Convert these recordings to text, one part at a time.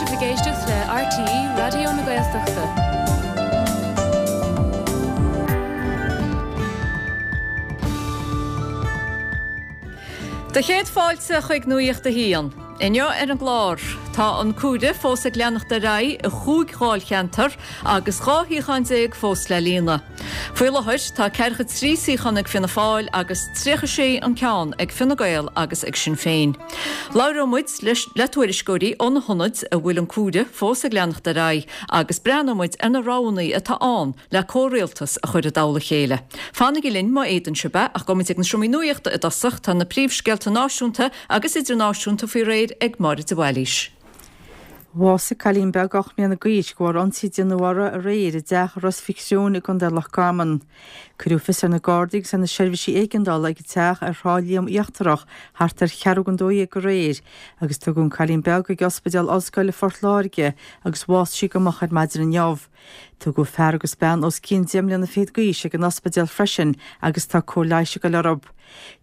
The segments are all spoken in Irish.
sibh ag éisteacht le RTÉ Raidió na Gaeltachta. Do chéad fáilte chuig Nuacht a hAon. Inniu ar an gclár, tá an comhaireamh fós ag leanacht ar aghaidh i chúig dháilcheantar agus 12 shuíochán fós le líonadh. Faoi láthair, tá 43 suíochán ag Fianna Fáil agus 36 an ceann ag Fine Gael agus ag Sinn Féin. Labhróidh muid le tuairisceoirí ó na hionaid a bhfuil an comhaireamh fós ag leanacht ar aghaidh agus breathnóidh muid ar na roghanna atá ann le comhrialtas a chur i dtoll a chéile. Fanaigí linn má fhéadann sibh é, ach gabhfaidh muid ag na seomraí nuachta i dtosach, tá na príomhscéalta náisiúnta agus idirnáisiúnta faoi réir ag Máire de Bhailís. Bhásaigh cailín beag 8 mbliana d'aois de bharr ionsaí a déanadh uirthi aréir i dteach i Ros Mhic Thriúin i gContae Loch Garman. Cuireadh fios ar na Gardaí agus ar na seirbhísí éigeandála ag an teach ar Thrá Liam Íochtarach thart ar cheathrú don 12 aréir agus tugadh an cailín beag chuig Ospidéal Ollscoile Phort Láirge agus bhásaigh sí go moch ar maidin inniu. Tugadh fear agus bean os cionn deich mbliana fichead d'aois ag an ospidéal freisin agus tá cóir leighis ag dul orthu.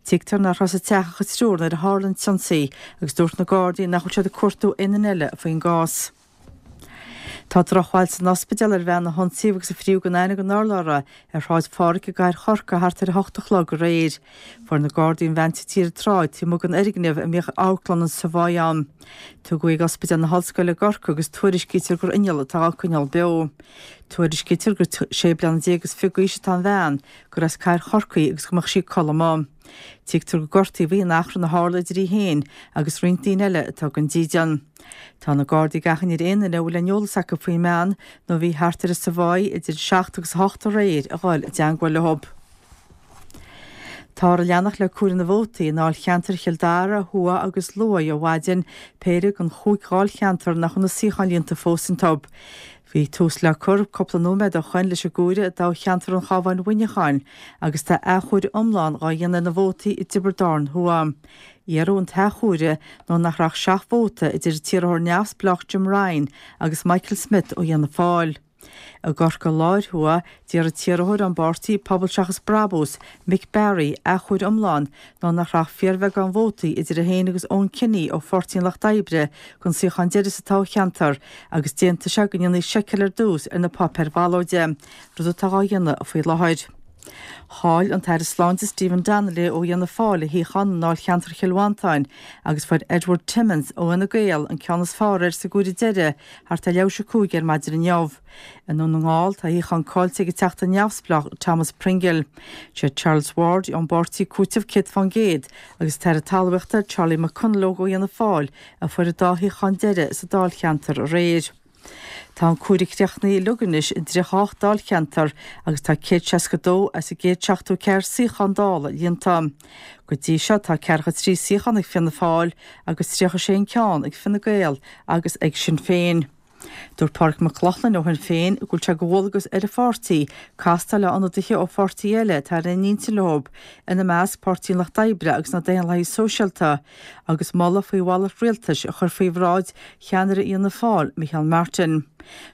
Tuigtear nach raibh sa teach ach an triúr nuair a tharla an t-ionsaí agus dúirt na Gardaí nach bhfuil siad ag cuartú aon duine eile faoin gcás. Tá drochbhail san ospidéal ar bhean a hionsaíodh agus a fríodh gan aithne den urlabhra ar Shráid Phádraig i gcathair Chorcaí thart ar 8 a chlog aréir. Fuair na Gardaí an bhean tite ar an tsráid taobh amuigh den fhoirgneamh a mbíodh amharclann an Savoy ann. Tugadh í ag Ospidéal na hOllscoile i gCorcaigh agus tuairiscítear gur inneall atá á coinneáil beo. Tuairiscítear gur 16 bliana is 20 d'aois atá an bhean, gur as cathair Chorcaí agus go mbeadh sí ag codladh amuigh. Tuigtear gur gortaíodh í in achrann a tharla idir í féin agus roinnt daoine eile atá gan dídean. Tá na Gardaí ag achainí ar aon duine a bhfuil aon eolas acu faoin mbean nó a bhí thart ar an Savoy idir 7 agus 8 aréir a dhul i dteangmháil leo. Táthar ag leanacht le comhaireamh na vótaí i ndáilcheantair Chill Dara Thuaidh agus Luaidhe ó mhaidin, péire den chúig dháilcheantar nach bhfuil na suíocháin líonta fós iontu. Bhí tús le cur cúpla nóiméad ó shoin leis an gcomhaireamh i dtoghcheantar an Chabháin-Mhuineacháin agus tá athchomhaireamh iomlán dhá dhéanamh ar na vótaí i dTiobraid Árann Thuaidh. Iarradh an t-athchomhaireamh nó nach raibh ach seacht vóta idir an t-iarrthóir neamhspleách Jim Ryan agus Michael Smith ó Fhianna Fáil. I gCorcaigh Láir Thuaidh, d'iarr an t-iarrthóir ón bpáirtí Pobal Seachas Brabús, Mick Barry, athchomhaireamh iomlán nó nach raibh ach fíorbheagán vótaí idir é féin agus Eoin Kenny ó Pháirtí an Lucht Oibre don suíochán deiridh sa toghcheantar agus d'aontaigh sé go ndéanfaí seiceáil ar dtús ar na páipéir bhallóide, rud atá dhá dhéanamh faoi láthair. Chaill an tAire Sláinte Stephen Donnelly ó Fhianna Fáil a shuíochán i ndáilcheantar Chill Mhantáin agus fuair Edward Timmins ó Fhine Gael an ceann is fearr air sa gcomhaireamh deiridh thart ar leathuair tar éis a 5 ar maidin inniu. I nDún na nGall, tá a shuíochán caillte ag an Teachta neamhspleách Thomas Pringle. Sé Charles Ward ón bpáirtí Cúiteamh 100% agus an tAire Talmhaíochta Charlie McConalogue ó Fhianna Fáil a fuair an dá shuíochán deiridh sa dáilcheantar aréir. Tá an comhaireamh críochnaithe uilig anois i 38 dáilcheantar agus tá 162 as an gcéad 74 suíochán Dála líonta. Go dtí seo tá 43 suíochán ag Fianna Fáil agus 36 an ceann ag Fine Gael agus ag Sinn Féin. Dúirt Pádraig Mac Lochlainn ó Shinn Féin go bhfuil sé de dhualgas ar a pháirtí castáil le hionadaithe ó pháirtithe eile atá ar aon intinn leo, ina measc Páirtí an Lucht Oibre agus na Daonlathaithe Sóisialta, agus moladh faoi mhalairt rialtais a chur faoi bhráid cheannaire Fhianna Fáil, Micheál Martin.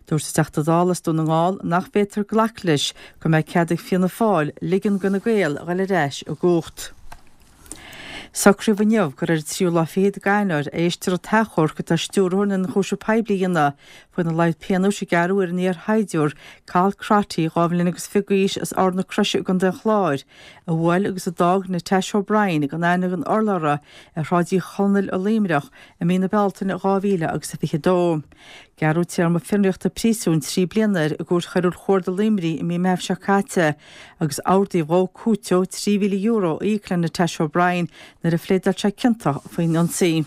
Dúirt an Teachta Dála as Dún na nGall nach bhféadfar glacadh leis go mbeidh cead ag Fianna Fáil ligean d'Fhine Gael a dhul ar ais i gcumhacht. Socraíodh inniu gur ar an tríú lá fichead d'Eanáir a éistfear an t-achomharc atá Stiúrthóir na nIonchúiseamh Poiblí a dhéanamh faoina laghad pionóis a gearradh ar an iarshaighdiúir Cathal Crotty, 22 bhliain agus d'aois as Ard na Croise i gContae an Chláir, a bhuail agus a d'fhág Natasha O'Brien gan aithne den urlabhra ar Shráid Uí Chonaill i Luimneach i mí na Bealtaine 2000 agus 22. Gearradh téarma fionraíochta príosúin 3 bliana air i gCúirt Choiriúil Chuarda Luimnigh i mí Meithimh seo caite agus ordaíodh dhó cúiteamh €3,000 a íoc le Natasha O'Brien nuair a phléadáil sé ciontach faoin ionsaí.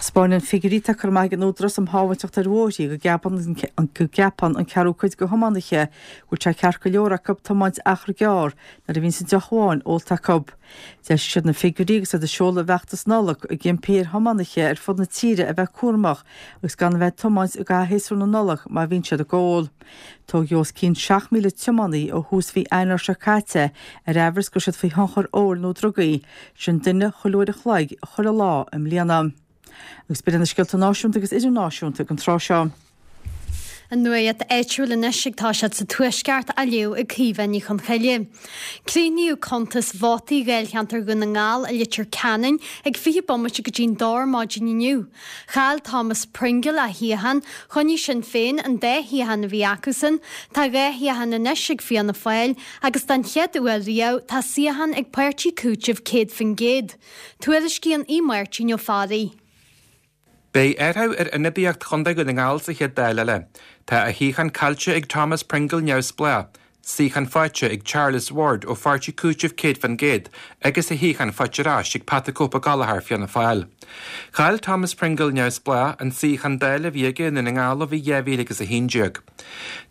'Spáineann figiúirí atá curtha amach ag an Údarás um Shábháilteacht ar Bhóithre go gceapann an ceathrú cuid de thiománaithe go bhfuil sé ceart go leor acu tiomáint achar gearr nuair a bhíonns an deoch amháin ólta acu. D'eisigh siad na figiúirí agus iad ag seoladh a bhfeachtas Nollag ag impí ar thiománaithe ar fud na tíre a bheith cúramach agus gan a bheith ag tiomáint i gcaitheamh shéasúr na Nollag má bhíonn siad ag ól. Tógadh os cionn 7,000 tiománaí ó thús mhí Eanáir seo caite ar aimhreas go raibh siad faoi thionchar óil nó drugaí, sin duine chuile uair a chloig chuile lá i mbliana. Agus b'in iad na scéalta náisiúnta agus idirnáisiúnta ag an tráth seo. An nuacht áitiúil anois ag toiseacht sa Tuaisceart á léamh ag Caoimhe Ní Chonchoille. Críochnaíodh cuntas vótaí Dháilcheantar Dhún na nGall i Leitir Ceanainn ag 20 bomaite go dtí'n dó ar maidin inniu. Chaill Thomas Pringle a shuíochán, choinnigh Sinn Féin an dá shuíochán a bhí acusan, tá 2 shuíochán anois ag Fianna Fáil agus den chéad uair riamh tá suíochán ag Páirtí Cúitimh 100%. Tuairiscíonn Aodh Máirtín Ó Fearraigh. Beidh athrú ar ionadaíocht Chontae Dhún na nGall sa chéad Dáil eile. Tá a shuíochán caillte ag Thomas Pringle Neamhspleách, suíochán faighte ag Charles Ward ó Pháirtí Cúitimh 100% agus a shuíochán faighte ar ais ag Pat the Cope Gallagher, Fianna Fáil. Chaill Thomas Pringle Neamhspleách an suíochán Dála a bhí aige i nDún na nGall ó bhí 2011.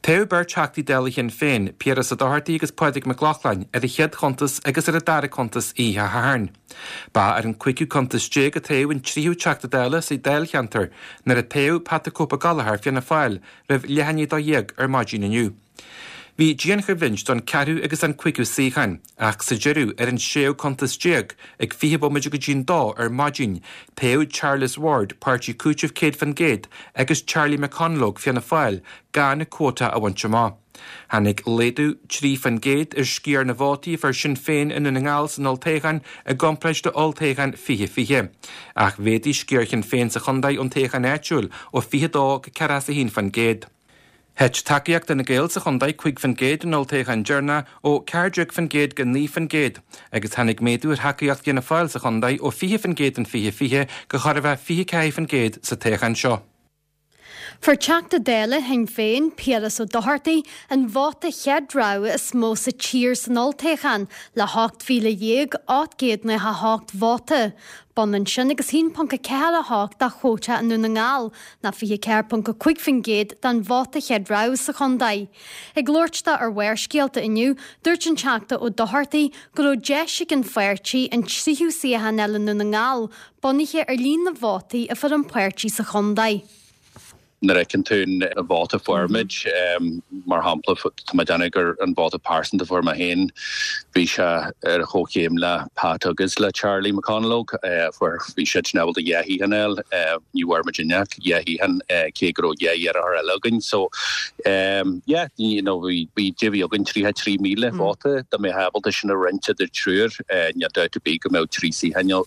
Toghadh beirt Theachtaí Dála Shinn Féin, Piaras Ó Dochartaigh agus Pádraig Mac Lochlainn, ar an chéad chuntas agus ar an dara cuntas oíche Shathairn. Ba ar an cúigiú cuntas déag a toghadh an tríú Teachta Dála sa dáilcheantar nuair a toghadh Pat the Cope Gallagher, Fianna Fáil, roimh leath i ndiaidh a 12 ar maidin inniu. Bhí dianchoimhlint don ceathrú agus don cúigiú suíochán, ach sa deireadh, ar an séú cuntas déag, ag 20 bomaite go dtí'n dó ar maidin, toghadh Charles Ward, Páirtí Cúitimh 100%, agus Charlie McConalogue, Fianna Fáil, gan cuóta a bhaint amach. Tháinig laghdú 3% ar sciar na vótaí a fuair Sinn Féin i nDún na nGall san olltoghchán i gcomparáid le olltoghchán 2020. Ach mhéadaigh sciar Shinn Féin sa chontae ón toghchán áitiúil ó 22 go 41%. Thit tacaíocht Fhine Gael sa chontae 5% in olltoghchán deireanach ó 14% go 9% agus tháinig méadú ar thacaíocht Fhianna Fáil sa chontae ó 20% in 2020 go chóir a bheith 24% sa toghchán seo. Fuair Teachta Dála Shinn Féin, Piaras Ó Dochartaigh, an vóta chéad rogha is mó sa tír san olltoghchán le 18,898 vóta. B'ionann sin agus 1.48 de chuóta i nDún na nGall, ná 24.5% den vóta chéad rogha sa chontae. Ag labhairt dó ar Bharrscéalta inniu, dúirt an Teachta Ó Dochartaigh go raibh deis ag an pháirtí an tríú suíochán a fháil i nDún na nGall, bunaithe ar líon na vótaí a fuair an páirtí sa chontae. Nuair a fheiceann tú an vóta a fuair muid, mar shampla, tá mé ag déanamh gur an vóta pearsanta a fuair mé féin, bhí sé ar a chomhchéim le Pat agus le Charlie McConalogue. Fuair, bhí siadsan ábalta dhá shuíochán a fháil, ní bhfuair muidinne ach dhá shuíochán, cé go raibh dhá iarrthóir eile againn. So, yeah, you know, bhí, bhí, bhí againn 33,000 vóta, dá mbeifeá ábalta sin a roinnt idir triúr, níl dabht ar bith go mbeadh trí suíochán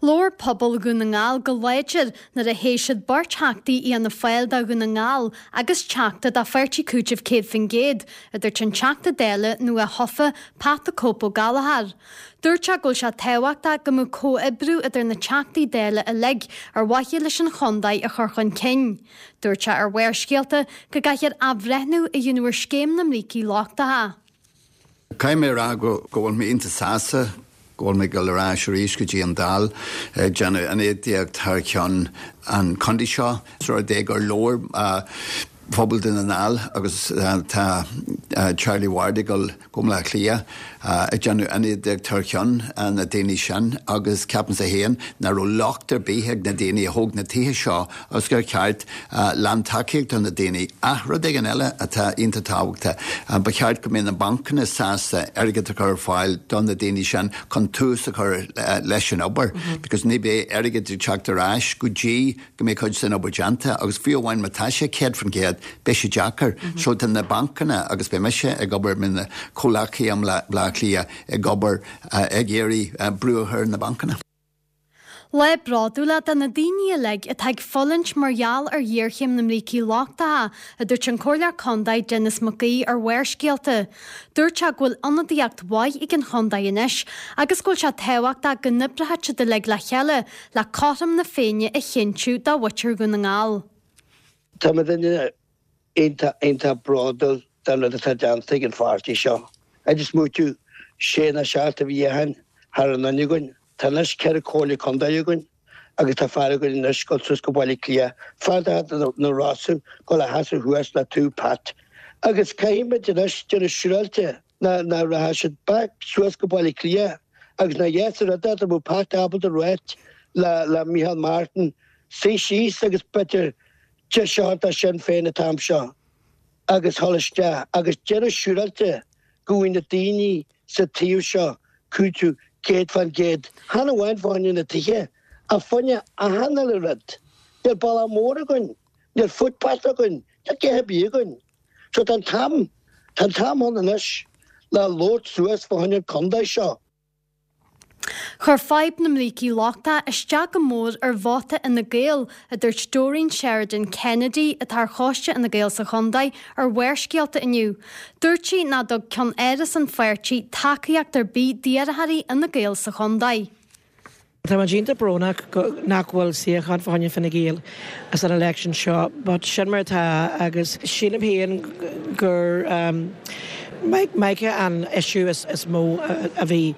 Labhair pobal Dhún na nGall go láidir nuair a thoghadh siad beirt Theachtaí Fhianna Fáil do Dhún na nGall agus Teachta do Pháirtí Cúitimh 100%, a dúirt an Teachta Dála nua-thofa Pat the Cope Ó Gallchóir. Dúirt sé go bhfuil sé tábhachtach go mbeadh comhoibriú idir na Teachtaí Dála uilig ar mhaithe leis an chontae a chur chun cinn. Dúirt sé ar Bharrscéalta go gcaithfear athbhreithniú a dhéanamh ar scéim na mbrící lochtacha. Caithfidh mé a rá go bhfuil mé iontach sásta go bhfuil mé ag dul ar ais arís go dtí an Dáil ag déanamh ionadaíocht thar ceann an chontae seo. Is rud é gur labhair pobal Dhún na nGall agus tá Charlie Ward ag dul go Baile Átha Cliath ag déanamh ionadaíocht thar ceann na daoine sin agus ceapaimse féin nach raibh locht ar bith ag na daoine a thóg na tithe seo agus gur cheart lántacaíocht do na daoine. Ach rud éigin eile atá iontach tábhachtach, ba cheart go mbeadh na bancanna sásta airgead a chur ar fáil do na daoine sin chun tús a chur leis an obair because ní bheidh airgead ag teacht ar ais go dtí go mbeidh cuid den obair déanta agus fiú amháin má tá sé 100% beidh sé deacair. So tá na bancanna agus beidh mise ag obair le mo chomhghleacaithe i mBaile Átha Cliath ag obair ag iarraidh brú a chur ar na bancanna. Lá bródúil é do na daoine uilig atá ag fulaingt mar gheall ar ghéarchéim na mbrící lochtacha, a dúirt an Comhairleoir Contae Denis Mac Aoidh ar Bharrscéalta. Dúirt sé go bhfuil ionadaíocht mhaith ag an chontae anois agus go bhfuil sé tábhachtach go n-oibreoidh siad uilig le chéile le cothrom na Féinne a chinntiú do mhuintir Dhún na nGall. Tá mo dhuine iontach, iontach bródúil den rud atá déanta ag an pháirtí seo. Ag smaoitiú sé nó seacht de shuíocháin thar an fhuinneog againn. Tá anois 4 comhairle contae againn agus tá fear againn anois ag dul suas go Baile Átha Cliath, fear de na Rosa, dul a sheasamh thuas le taobh Pat. Agus caithfidh muid anois déanamh siúráilte nach rachaidh siad back suas go Baile Átha Cliath agus ná yes a rud é dá mbeadh Pat ábalta ráit le le Micheál Martin suí síos agus b'fhéidir deis a thabhairt do Sinn Féin an t-am seo agus dhul isteach agus déanamh siúráilte go bhfaighidh na daoine sa taobh seo cúiteamh 100%, chan amháin fá choinne na tithe, ach fá choinne achan uile rud. Níl bealach mór againn. Níl footpath againn, níl a dhath ar bith againn. So tá an t-am, tá an t-am ann anois le labhairt suas fá choinne an contae seo. Chuir fadhb na mbrící lochtacha isteach go mór ar vóta Fhine Gael, a dúirt Doreen Sheridan Kennedy, atá ar choiste Fhine Gael sa chontae, ar Bharrscéalta inniu. Dúirt sí nach dtug ceann-áras an pháirtí tacaíocht ar bith d'iarrthóirí Fhine Gael sa chontae. Tá muid iontach brónach nach bhfuil suíochán fá choinne Fine Gael san election seo but sin mar atá agus sílim féin gur Mica an issue is mó a bhí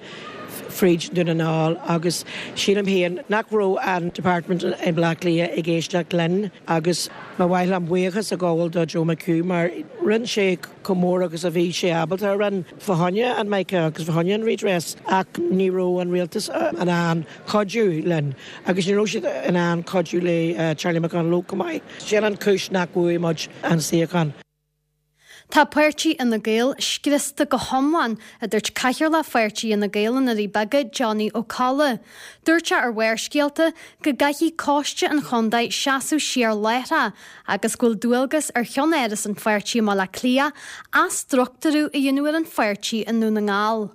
fríd Dún na nGall agus sílim féin nach raibh an department i mBleá Cliath ag éisteacht linn agus ba mhaith liom buíochas a ghabháil do Joe McHugh mar rinne sé chomh mór agus a bhí sé ábalta a rinne fá choinne an Mica agus fá choinne an redress ach ní raibh an rialtas in ann cuidiú linn agus ní raibh siad in ann cuidiú le Charlie McConalogue chomh maith. Sin an chúis nach bhfuair muid an suíochán. Tá páirtí Fhine Gael scriosta go hiomlán, a dúirt Cathaoirleach Pháirtí Fhine Gael i nDoirí Beaga, Johnny Ó Colla. Dúirt sé ar Bharrscéalta go gcaithfidh coiste an chontae seasamh siar láithreach agus go bhfuil dualgas ar cheann-áras an pháirtí i mBaile Átha Cliath athstruchtúrú a dhéanamh ar an pháirtí i nDún na nGall.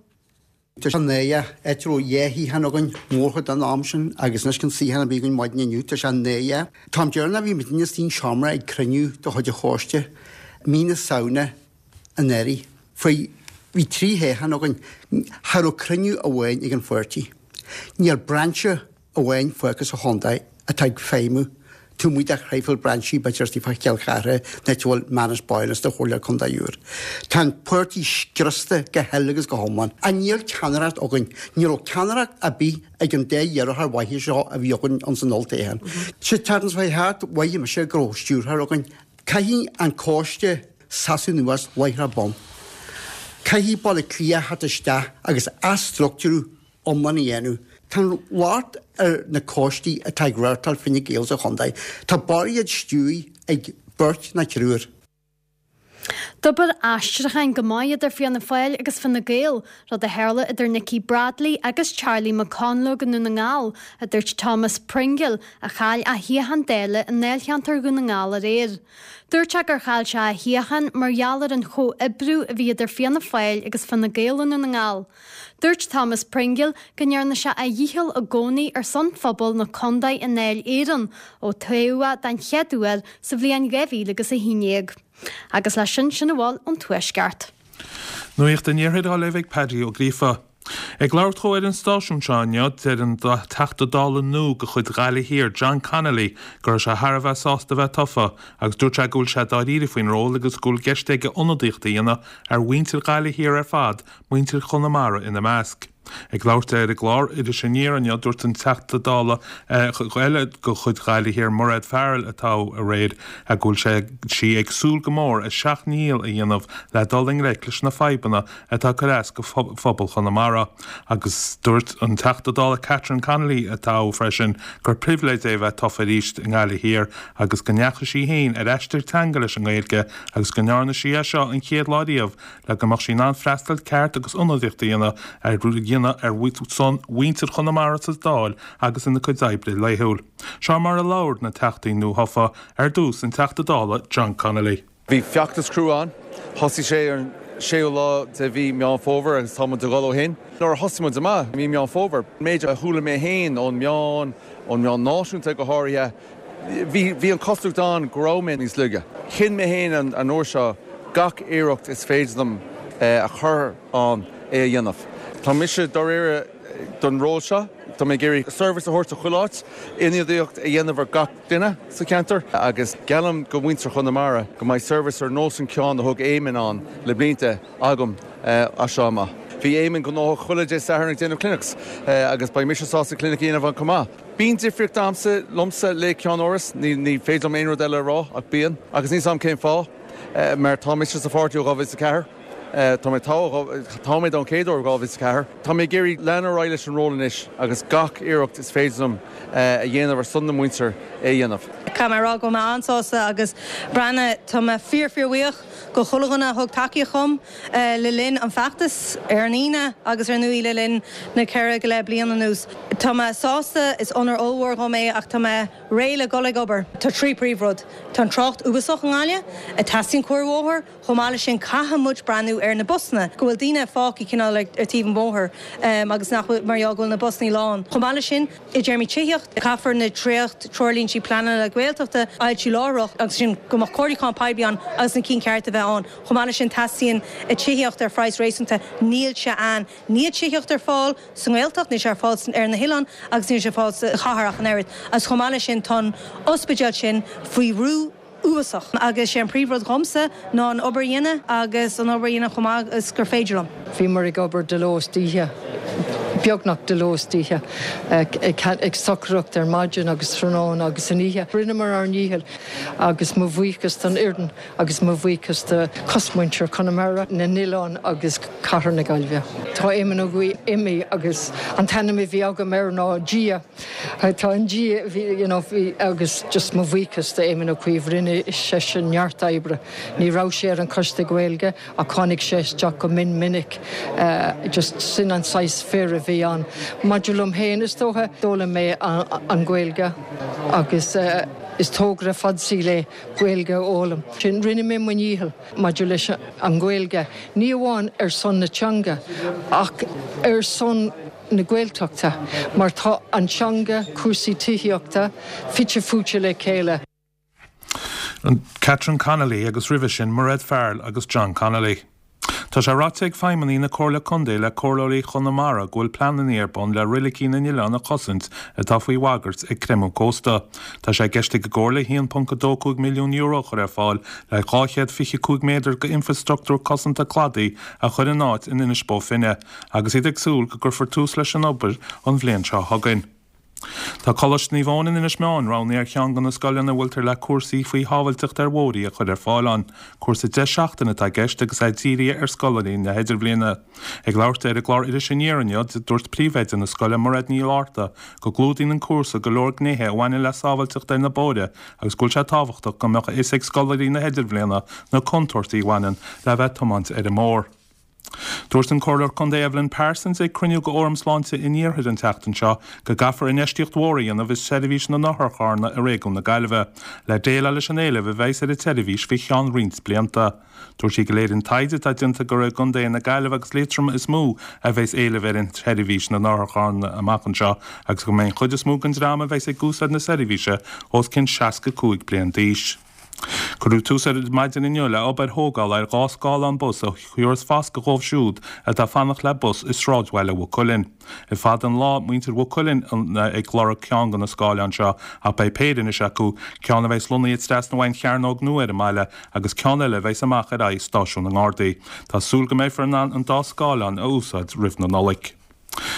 Tá sé náireach, áit a raibh dhá shuíochán againn mórchuid den am sin agus anois gan suíochán ar bith againn maidin inniu, tá sé náireach. An t-am deireanach a bhí muidinne istigh sa seomra ag cruinniú de chuid an choiste, mí na Samhna anuraidh, faoi bhí trí shuíochán againn, cha raibh cruinniú amháin ag an pháirtí. Níl brainse amháin fágtha sa chontae atá ag feidhmiú taobh amuigh de thraidhfil brainsí b'fhéidir istigh fá Chill Chartha an áit a bhfuil Manus Boyle is do Chomhairle Contae úr. Tá an páirtí scriosta go huile agus go hiomlán. Ach níl ceannaireacht againn. Ní raibh ceannaireacht ar bith ag an dá iarrthóir mhaithe seo a bhí againn ins an olltoghchán. Sa tseachtain seo thart mhothaigh mise go raibh stiúrthóir againn. Caithfidh an coiste seasamh anuas láithreach bonn. Caithfidh Baile Átha Cliath theacht isteach agus athstruchtúrú iomlán a dhéanamh. Tá an locht ar na coistí atá ag reáchtáil Fine Gael sa chontae. Tá barr iad stiúrtha ag beirt nó triúr. D'obair aistriúcháin go maith idir Fianna Fáil agus Fine Gael, rud a tharla idir Nikki Bradley agus Charlie McConalogue i nDún na nGall, a dúirt Thomas Pringle, a chaill a shuíochán Dála i ndáilcheantar Dhún na nGall aréir. Dúirt sé gur chaill sé a shuíochán mar gheall ar an chomhoibriú a bhí idir Fianna Fáil agus Fine Gael i nDún na nGall. Dúirt Thomas Pringle go ndearna sé a dhícheall i gcónaí ar son phobal na contae i nDáil Éireann ó toghadh é den chéad uair sa bhliain 2011. Agus leis sin, sin a bhfuil ón Tuaisceart. Nuacht an Iarthair á léamh ag Paddy Ó Gríofa. Ag labhairt dhó ar an stáisiún seo inniu, deir an Teachta Dála nua de chuid Ghaillimh Thiar, John Connolly, go raibh sé thar a bheith sásta a bheith tofa agus dúirt sé go bhfuil sé dáiríre faoin ról agus go bhfuil i gceist aige ionadaíocht a dhéanamh ar mhuintir Ghaillimh Thiar ar fad muintir Chonamara ina measc. Ag labhairt ar an gclár Iris Aniar inniu, dúirt an Teachta Dála eile de chuid Ghaillimh Thiar, Mairéad Farrell, a toghadh aréir, go bhfuil sé, sí ag súil go mór a seacht ndícheall a dhéanamh le dul i ngleic leis na fadhbanna atá ag cur as do phobal Chonamara. Agus dúirt an Teachta Dála Catherine Connolly, a toghadh freisin, gur pribhléid é a bheith tofa arís i nGaillimh Thiar agus go ndeachaigh sí féin ar aistear teanga leis an nGaeilge agus go ndearna sí é seo an chéad lá riamh le go mbeadh sí in ann freastal ceart agus ionadaíocht a dhéanamh ar dhéanamh ar son mhuintir Chonamara sa Dáil agus ina cuid oibre laethúil. Seo mar a labhair na Teachtaí nuathofa, ar dtús an Teachta Dála John Connolly. Bhí feachtas crua ann. Thosaigh sé ar an séú lá de mhí Meán Fómhair agus tá muid ag dul ó shin. Nuair a thosaigh muid amach i mí Meán Fómhair, an méid a chuala mé féin ón meán, ón meán náisiúnta go háirithe, Bhí, bhí an chosúlacht ann go raibh mé níos laige. Chinn mé féin an uair seo gach iarracht is féidir liom a chur ann é a dhéanamh. Tá mise dáiríre don ról seo. Tá mé ag iarraidh service a thabhairt do chuile áit, ionadaíocht a dhéanamh ar gach duine sa cheantar agus geallaim do mhuintir Chonamara go mbeidh service ar nós an ceann a thug Éamon ann le blianta agam as seo amach. Bhí Éamon gnóthach chuile Dé Sathairn ag déanamh clinics agus beidh mise sásta clinic a dhéanamh ann chomh maith. Bíonn difríocht a'msa, liomsa le ceann-áras, ní féidir liom aon rud eile a rá ach bíonn. Agus níl 's a'm cén fáth, mar tá mise sa pháirtí ó 2004. Tá mé togha, toghadh mé don chéad uair i 2004. Tá mé ag iarraidh leanadh ar aghaidh leis an ról anois agus gach iarracht is féidir liom a dhéanamh ar son na muintir é a dhéanamh. Caithfidh mé a rá go bhfuil mé an-sásta agus breathnaigh, tá mé fíor fíor bhuíoch go chuile dhuine a thug tacaíocht dhom le linn an feachtas ar an Aoine agus ar ndóigh le linn na ceithre go leith bliain anuas. Tá mé sásta, is onóir ollmhór dhom é ach tá mé réidh le dul ag obair. Tá 3 príomhrud, tá an trácht uafásach i nGaillimh, teastaíonn comharthaí bóthair, Chomh maith leis sin, caithfidh muid breathnú ar na busanna, go bhfuil daoine fágtha cineál ar taobh an bhóthair agus nach bhfuil, mar gheall go bhfuil na busanna lán. Chomh maith leis sin, i dtéarmaí tithíocht, caithfear na dréacht treoirlíntí pleanála Gaeltachta a fhoilsiú láithreach agus sin go mbeadh comhairliúchán poiblí ann agus na cinn cearta a bheith ann. Chomh maith leis sin, teastaíonn tithíocht ar phraghas réasúnta. Níl sé ann. Níl tithíocht ar fáil sa nGaeltacht, níl sé ar fáil ar na hoileáin agus níl sé ar fáil sa chathair ach an oiread. Agus chomh maith leis sin, tá an ospidéal sin faoi bhrú. uafásach. Agus sé an príomhrud dhomsa ná an obair a dhéanamh agus an obair a dhéanamh chomh maith is gur féidir liom. Bhíomar ag obair de ló is d'oíche, beagnach de ló is d'oíche, ag stocaireacht ar maidin agus tráthnóna agus san oíche. Rinneamar ár ndícheall agus mo bhuíochas don fhoireann agus mo bhuíochas do chosmhuintir Chonamara, na n-oileán agus Cathair na Gaillimhe. Tá Éamon Ó Cuív imithe agus an t-ainm a bhí agam air ná Dia. Tá an Dia, bhí, you know, bhí, agus just mo bhuíochas do Éamon Ó Cuív, rinne seisean neart oibre. Ní raibh sé ar an Choiste Gaeilge ach tháinig sé isteach go mion minic, just sin an saghas fir a bhí ann. Maidir liom féin, is dócha, d'fhoghlaim mé an Ghaeilge agus is togra fad saoil é Gaeilge a fhoghlaim. Sin, rinne mé mo dhícheall maidir leis an Ghaeilge, ní amháin ar son na teanga ach ar son na Gaeltachta mar tá an teanga, cúrsaí tithíochta fite fuaite le chéile. Catherine Connolly agus roimhe sin Mairéad Farrell agus John Connolly. Tá sé ráite ag feidhmeannaigh na Comhairle Contae le Comhairleoirí Chonamara go bhfuil pleananna ar bun le roilicí na n-oileán a chosaint atá faoi bhagairt ag creimeadh cósta. Tá sé i gceist ag an gComhairle €1.25 milliún a chur ar fáil le 225 méadar d'infreastruchtúr cosanta cladaigh a chur in áit in Inis Bó Finne. agus iad ag súil go gcuirfear tús leis an obair an bhliain seo chugainn. Tá Coláiste Naomh Eoin in Inis Meáin roghnaithe ar cheann de na scoileanna a bhfuiltear le cúrsaí faoi shábhailteacht ar bhóithre a chur ar fáil ann. Cúrsa 10 seachtaine atá i gceist agus é dírithe ar scoláirí na hIdirbhliana. Ag labhairt di ar an gclár Iris Aniar inniu, dúirt príomhoide na scoile, Mairéad Ní Fhlatharta, go gclúdaíonn an cúrsa go leor gnéithe a bhaineann le sábhailteacht ar na bóithre agus go bhfuil sé tábhachtach go mbeadh a fhios ag scoláirí na hIdirbhliana na contúirtí a bhaineann le bheith ag tiomáint ar an mbóthar. Dúirt an Comhairleoir Contae Evelyn Parsons ag cruinniú de Fhóram Sláinte an Iarthair an tseachtain seo go gcaithfear infheistíocht mhór a dhéanamh i seirbhís na n-otharcharranna i réigiún na Gaillimhe le déileáil leis an éileamh a bheas ar an tseirbhís faoi cheann roinnt blianta. Dúirt sí go léiríonn taighde atá déanta gur i gcontaetha na Gaillimhe agus Liatroma is mó a bheas éileamh ar an tseirbhís na n-otharcharranna amach anseo agus go mbeidh an chuid is mó den dream a bheas ag úsáid na seirbhíse os cionn 65 bliain d'aois. Cuireadh tús ar maidin inniu le obair thógála ar 2 scáileán bus a thabharfas fascadh dhóibh siúd atá ag fanacht le bus i sráidbhaile Mhaigh Cuilinn. Le fada an lá muintir Mhaigh Cuilinn ag lorg ceann de na scáileáin seo ach beidh péire anois acu, ceann a bheas lonnaithe trasna uaidh an chearnóg nua ar an mbaile agus ceann eile a bheas amach ar aghaidh stáisiún na nGardaí. Tá súil go mbeifear in ann an dá scáileán a úsáid roimh na Nollaig.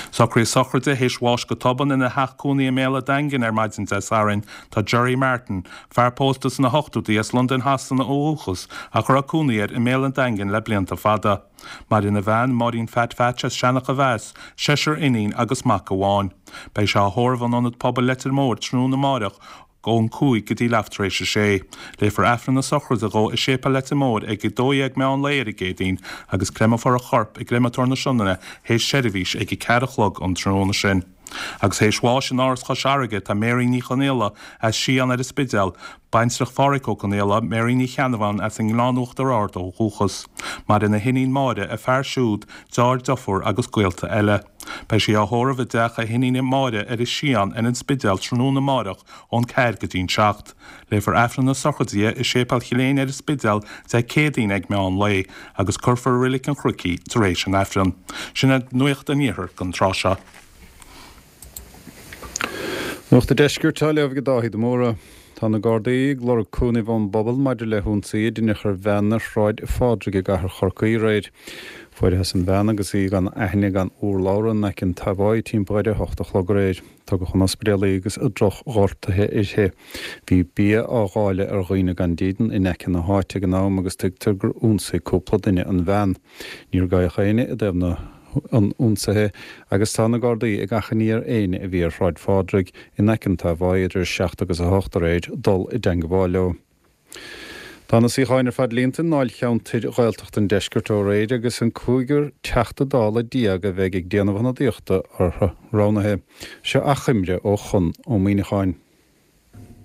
Socruithe sochraide théis bháis go tobann ina theach cónaí i mBéal a' Daingin ar maidin Dé Sathairn tá Gerry Martin, fear pósta sna hochtóidí as Londain Shasana ó dhúchas ach a raibh cónaí air i mBéal an Daingin le blianta fada. Maireann a bhean, Máirín Phat Phatch as Seanach a' Mheas, seisear iníon agus mac amháin. Beidh sé á thórramh in Ionad Pobail Leitir Móir tráthnóna amáireach ón 5 go dtí leath tar éis a sé. Léifear Aifreann na sochraide dhó i Séipéal Leitir Móir ag 12 meán lae ar an gCéadaoin agus creimeofar a chorp i gCreamatóir na Sionainne théis seirbhís ag 4 a chlog an tráthnóna sin. Agus théis bháis in Áras Chois Fharraige tá Mary Ní Chonaola as Sián ar an Spidéal, baintreach Phádhraic Ó Conaola, Mary Ní Cheannabháin as an nGleann Uachtar Ard ó dhúchas. Maireann a hiníon Máire, a fear siúd, deartháir, deirfiúr agus gaolta eile. Beidh sí á thórramh i dteach a hiníne Máire ar an Sián ar an Spidéal tráthnóna amáireach ón 4 go dtí'n 7. Léifear Aifreann na sochraide di i Séipéal Chill Éinne ar an Spidéal Dé Céadaoin ag meán lae agus cuirfear i Reilig an Chnoic í tar éis an Aifrinn. Sin é nuacht an Iarthair don tráth seo. Nuacht an Deiscirt á léamh ag Dáithí de Mórdha. Tá na Gardaí ag lorg cúnaimh ón bpobal maidir le hionsaí a deineadh ar bhean ar Shráid Phádraig i gcathair Chorcaí aréir. Fuarthas an bhean agus í gan aithne gan urlabhra in aice an Tavoy timpeall ar a hocht a chlog aréir. Tugadh chun ospidéal í agus drochghortuithe uirthi. Bhí bia á dháileadh ar dhaoine gan dídean in aice na háite ag an am agus tuigtear gur ionsaigh cúpla duine an bhean. Níor gabhadh éinne i dtaobh na an ionsaithe agus tá na Gardaí ag achainí ar éinne a bhí ar Shráid Phádraig in aice an Tavoy idir 7 agus 8 aréir dul i dteangabháil leo. Tá na suíocháin ar fad líonta i ndáilcheantair Ghaeltachta an Deiscirt ó aréir agus an cúigear Teachta Dála a bheidh ag déanamh ionadaíochta orthu roghnaithe. Seo achoimre ó Chonn Ó Muíneacháin.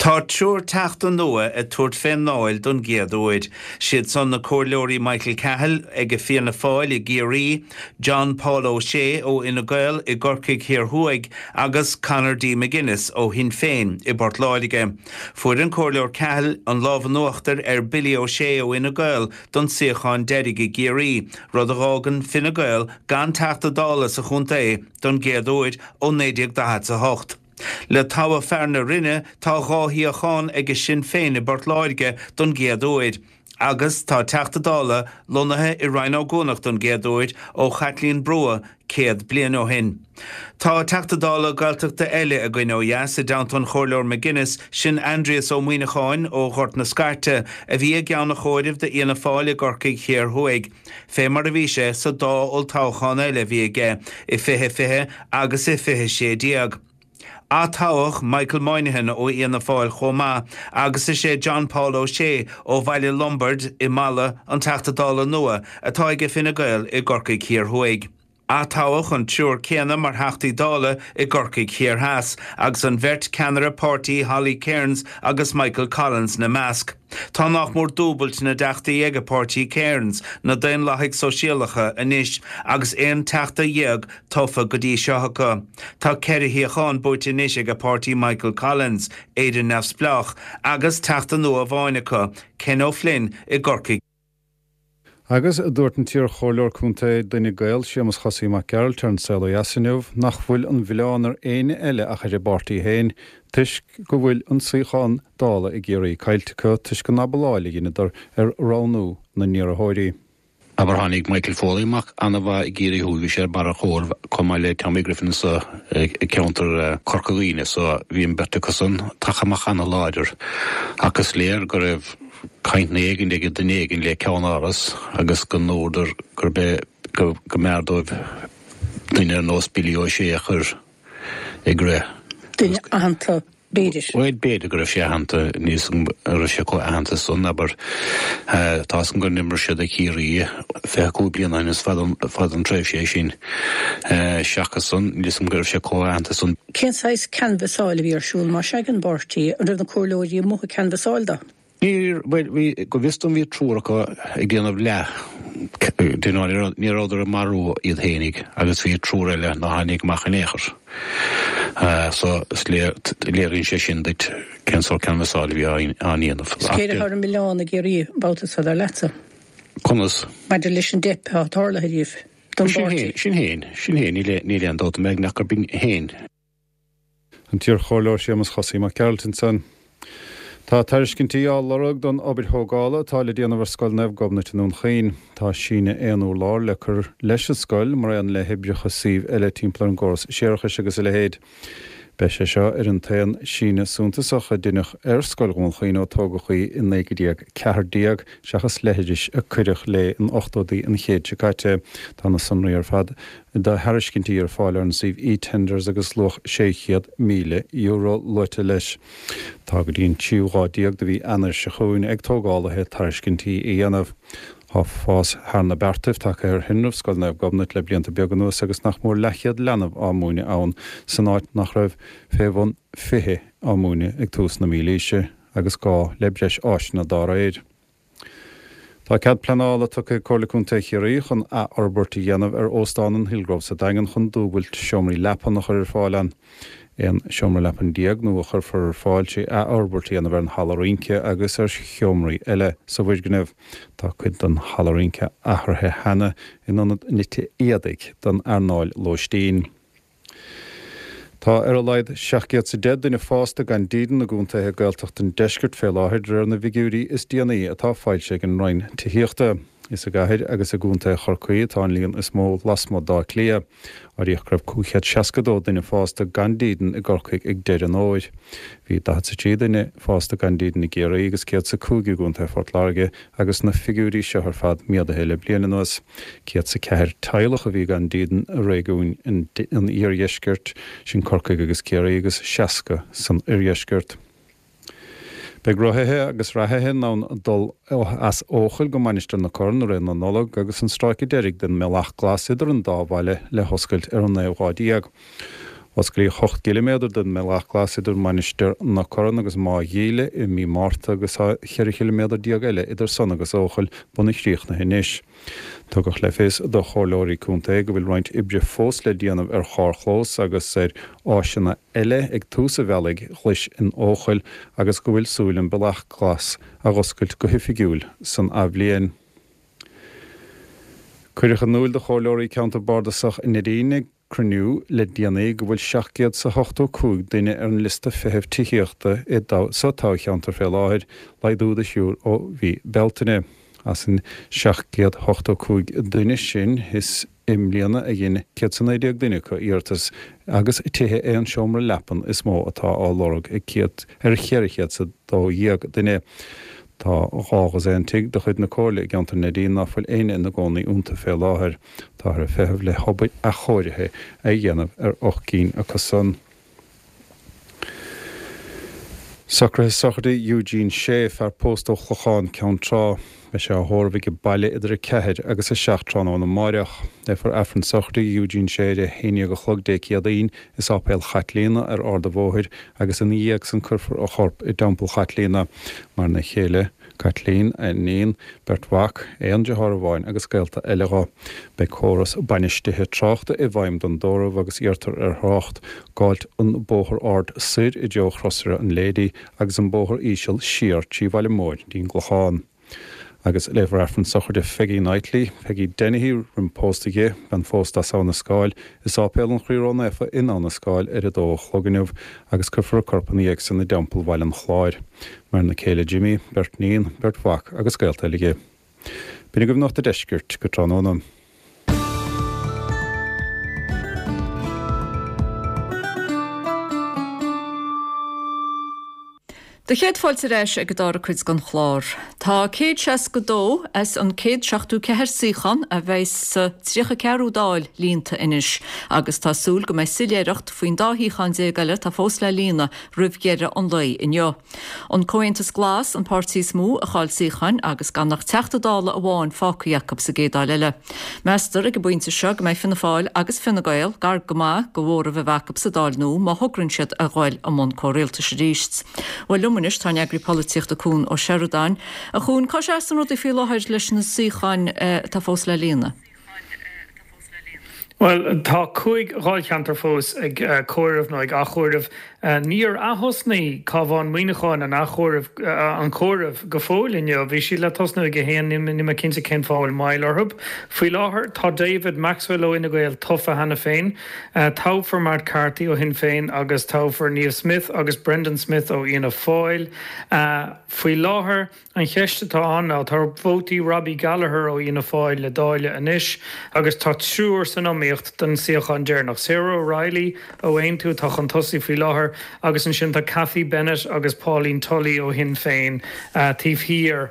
Tá triúr Teachta nua ag tabhairt fén nDáil don gcéad uair. Siad san na Comhairleoirí Michael Cahill ag Fianna Fáil i gCiarraí, John Paul O'Shea ó Fhine Gael i gCorcaigh Thiar Thuaidh agus Conor D. McGuinness ó Shinn Féin i bPort Láirge. Fuair an Comhairleoir Cahill an lámh in uachtar ar Billy O'Shea ó Fhine Gael don suíochán deiridh i gCiarraí, rud a dh'fhágann Fine Gael gan Teachta Dála sa chontae don gcéad uair ó 1948. Le toghadh fear na Rinne tá 2 shuíochán ag Sinn Féin i bPort Láirge don gcéad uair agus tá Teachta Dála lonnaithe i Rinn Ó gCuanach don gcéad uair ó Chaitlín Brugha 100 bliain ó shin. Tá Teachta Dála Gaeltachta eile againn ó dheas i dteannta an Chomhairleoir McGuinness, sin Aindrias Ó Muíneacháin ó Ghort na Scairte a bhí i gceann an chomhairimh d'Fhianna Fáil i gCorcaigh Thiar Thuaidh. fé mar a bhí sé sa dá olltoghchán eile a bhí aige, i 2020 agus i 2016. Atoghadh Michael Moynihan ó Fhianna Fáil chomh maith agus is é John Paul O'Shea ó Bhaile Lombaird i Mala an Teachta Dála nua atá ag Fine Gael i gCorcaigh Thiar Thuaidh. Atoghadh an triúr céanna mar Theachtaí Dála i gCorcaigh Thiar Theas, agus an bheirt ceannaire páirtí Holly Cairns agus Michael Collins 'na measc. Tá nach mór dúbailt na dteachtaí ag páirtí Cairns, na Daonlathaigh Sóisialacha, anois agus 11 teachta tofa go dtí seo acu. Tá ceithre shuíochán buaite anois ag páirtí Michael Collins, Éire Neamhspleách, agus teachta nua amháin acu, Ken O'Flynn i gCorcaigh. Agus dúirt an t-iarchomhairleoir contae d'Fhine Gael, Séamus Chosaí Mac Gearailt ar An Saol Ó Dheas inniu nach bhfuil an mhilleán ar éinne eile ach ar an bpáirtí féin toisc go bhfuil an suíochán Dála i gCiarraí caillte acu toisc an abaláil a dheineadar ar roghnú na n-iarrthóirí. Abair tháinig Michael Foley amach an-mhaith i gCiarraí Thuaidh, bhí sé ar barr a chomhair chomh maith le Tommy Griffin sa cheantar Corca Dhuibhne so bhí an bheirt acusan tagtha amach an-láidir ach is léir go raibh cainteanna éigin ag duine éigin le ceann-áras agus go ndúradar gurb é go mb'fhearr dóibh duine ar nós Billy O'Shea a chur ag rith. Duine aitheanta, b'fhéidir. Bhuel, b'fhéidir go raibh sé aitheanta, níl 'fhios agam an raibh sé chomh aitheanta san, abair. Tá 'fhios agam gur imir sé do Chiarraí 25 bliain ó shin, is fada fada an tréimhse é sin. Seachas san, níl 'fhios agam go raibh sé chomh aitheanta san. Cén saghas canbhasáil a bhí ar siúl, más ea, ag an bpáirtí? An raibh na comhairleoirí amuigh ag canbhasáil dó? Níor, bhuel, bhí, go bhfios dom bhí triúr acu ag déanamh leath, you know, ní rabhadar ag marú iad fhéinig agus bhí triúr eile nár tháinig amach in aon chor. So, is léir, léiríonn sé sin duit cén sórt canbhasáil a bhí á ndéanamh. Is cé atá ar an milleán i gCiarraí an babhta seo, dar leatsa? Conas? Maidir leis an dteip atá tarlaithe daoibh, don bpáirtí. Sinn Féin, Sinn Féin, níl aon dabht agam ach gurb in féin. An t-iarchomhairleoir Séamus Chosaí Mac Gearailt ansan. Tá tairiscintí á lorg don obair thógála atá le déanamh ar Scoil Naomh Gobnait i nDún Chaoin. Tá síneadh aon urlár le cur leis an scoil, mar aon le hoibreacha suímh eile timpeall ar an gcóras séarachais agus a leithéid. Beidh sé seo ar an t-aon síneadh suntasach a deineadh ar Scoil Dhún Chaoin ó tógadh í i 1914, seachas leithris a cuireadh léi in ochtóidí an chéid seo caite. Tá na sonraí ar fad do thairiscintí ar fáil ar an suíomh eTenders agus luach €600,000 luaite leis. Tá go dtí an tríú lá déag de mhí Eanáir seo chugainn ag tógálaithe tairiscintí a dhéanamh. Tá fás thar na beartaibh tagtha ar thinreamh Scoil Naomh Gobnait le blianta beaga anuas agus nach mór leathchéad leanbh á múineadh ann san áit nach raibh fé bhun 20 á múineadh ag tús na mílaoise agus gá le breis áiseanna dá réir. Tá cead pleanála tugtha ag Comhairle Contae Chiarraí chun athfhorbairt a dhéanamh ar Óstán an Hillgrove sa Daingean chun dúbailt seomraí leapan a chur ar fáil ann. 11 seomra leapan nua a chuirfear ar fáil trí athfhorbairt a dhéanamh ar an halla rince agus ar sheomraí eile sa bhfoirgneamh. Tá cuid den halla rince athraithe cheana in ionad nite éadaigh don earnáil lóistín. Tá ar a laghad 710 duine fásta gan dídean i gcontaetha Gaeltachta an deiscirt fé láthair de réir na bhfigiúirí is déanaí atá foilsithe ag an Roinn Tithíochta. Is i gcathair agus i gcontae Chorcaí atá an líon is mó lasmuigh d'Áth Cliath. Áiríodh go raibh 562 duine fásta gan dídean i gCorcaigh ag deireadh an fhómhair. Bhí 43 duine fásta gan dídean i gCiarraí agus 105 i gcontae Phort Láirge agus na figiúirí seo ar fad méadaithe le bliain anuas. 104 teaghlach a bhí gan dídean i réigiún an iardheiscirt, sin Corcaigh agus Ciarraí, agus 60 san oirdheisceart. Beidh rothaithe agus reathaithe in ann dul as Eochaill go Mainistir na Corann i rith na Nollag agus an stráice deiridh den mBealach Glas idir an dá bhaile le hoscailt ar an naoú lá déag. Osclaíodh 8 gciliméadar den mBealach Glas idir Mainistir na Corann agus Má Ghíle i mí Márta agus tá 14 chiliméadar eile idir san agus Eochaill bunaidh críochnaithe anois. Tugadh le fios do chomhairleoirí contae go bhfuil roinnt oibre fós le déanamh ar charrchlós agus ar áiseanna eile ag tús an bhealaigh ghlais in Eochaill agus go bhfuil súil an Bealach Glas a dh'oscailt go hoifigiúil san athbhliain. Cuireadh in iúil do chomhairleoirí Ceantar Bardasach i Neidín ag cruinniú le déanaí go bhfuil 785 duine ar an liosta feithimh tithíochta i sa toghcheantar fé láthair, laghdú de thriúr ó mhí Bealtaine. As an 785 duine sin, is i mbliana a dhein 119 duine acu iarratas agus tithe aon seomra leapan is mó atá á lorg ag ar 412 duine. Tá dhá dhosaen tigh de chuid na Comhairle i gceantar Neidín ná fuil éinne ina gcónaí iontu fé láthair. Táthar ag feitheamh le hobair athchóirithe a dhéanamh ar 8 gcinn acu san. Socruithe sochraide Eugene Shea, fear pósta ó Chlochán, Ceann Trá. Beidh sé á thórramh aige baile idir 4 agus 7 tráthnóna amáireach. Léifear Aifreann sochraide Eugene Shea ar a haon dhéag a chlog Dé Céadaoin i Sáipéal Chaitlíona ar Ard a' Bhóthair agus ina dhiaidh san cuirfear a chorp i dTeampall Chaitlíona. Maireann a chéile. Caitlín, a iníon, beirt mhac, aon deartháir amháin agus gaolta eile dho. Beidh córas bainistithe tráchta i bhfeidhm don dtórramh agus iarrtar ar thrácht gabháilt an bóthar ard soir i dtreo Chrosaire an Lady agus an bóthar íseal siar trí Bhaile Móir dtí'n gClochán. Agus léifear Aifreann sochraide Pheggy Knightley, Peggy Dennehy roim pósta di, bean phósta as Abha na Scáil, i Sáipéal an Chroí Ró-Naofa in Abha na Scáil ar a dó a chlog inniu agus cuirfear a corp ina dhiaidh san i dTeampall Bhaile an Chláir. Maireann a céile Jimmy, beirt níon, beirt mhac agus gaolta eile di. B'in agaibh Nuacht an Deiscirt go tráthnóna. Do chéad fáilte ar ais ag an dara cuid den chlár. Tá 162 as an 174 suíochán a bheidh sa 34ú Dáil líonta anois agus tá súil go mbeidh soiléireacht faoin dá shuíochán déag eile atá fós le líonadh roimh dheireadh an lae inniu. An Comhaontas Glas an páirtí is mó a chaill suíocháin agus gan ach Teachta Dála amháin fágtha acu sa gcéad Dáil eile. Meastar ag an bpointe seo go mbeidh Fianna Fáil agus Fine Gael gar go maith do mhóramh a bheith acu sa Dáil nua má thograíonn siad a ghoil i mbun comhrialtais arís. Bhuel liom anois tá an eagraí polaitíochta Cuan Ó Seireadáin. A Chuain, cá seasann rudaí faoi láthair leis na suíocháin atá fós le líonadh? Bhuel, tá 5 dháilcheantar fós ag comhaireamh nó ag athchomhaireamh. Níor ath-thosnaigh Cabhán Muineacháin an athchomhaireamh, an comhaireamh go fóill inniu. Bhí siad le tosnú ag a haon, níl mé cinnte cén fáth a bhfuil moill orthu. Faoi láthair, tá David Maxwell ó Fhine Gael tofa cheana féin. Toghfar Matt Carthy ó Shinn Féin agus toghfar Niamh Smyth agus Brendan Smith ó Fhianna Fáil. Faoi láthair, An cheist atá ann ná, tá vótaí Robbie Gallagher ó Fhianna Fáil le dáileadh anois agus tá triúr san iomaíocht don suíochán deireanach. Sarah O'Reilly ó Aontú atá chun tosaigh faoi láthair agus ansin tá Cathy Bennett agus Pauline Tully ó Shinn Féin taobh thiar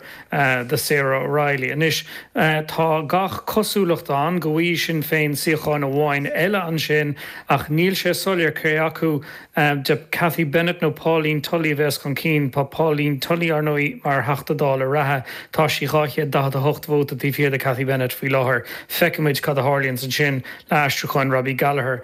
de Sarah O'Reilly. Anois, tá gach cosúlacht ann go bhfaighidh Sinn Féin suíochán amháin eile ansin ach níl sé soiléir cé acu de Cathy Bennett nó Pauline Tully a bheas chun cinn. Tá Pauline Tully, ar ndóigh, mar Theachta Dála reatha. Tá sí 248 vóta taobh thiar de Cathy Bennett faoi láthair. Feicfimid cad a tharlaíonns ansin le aistriúcháin Robbie Gallagher.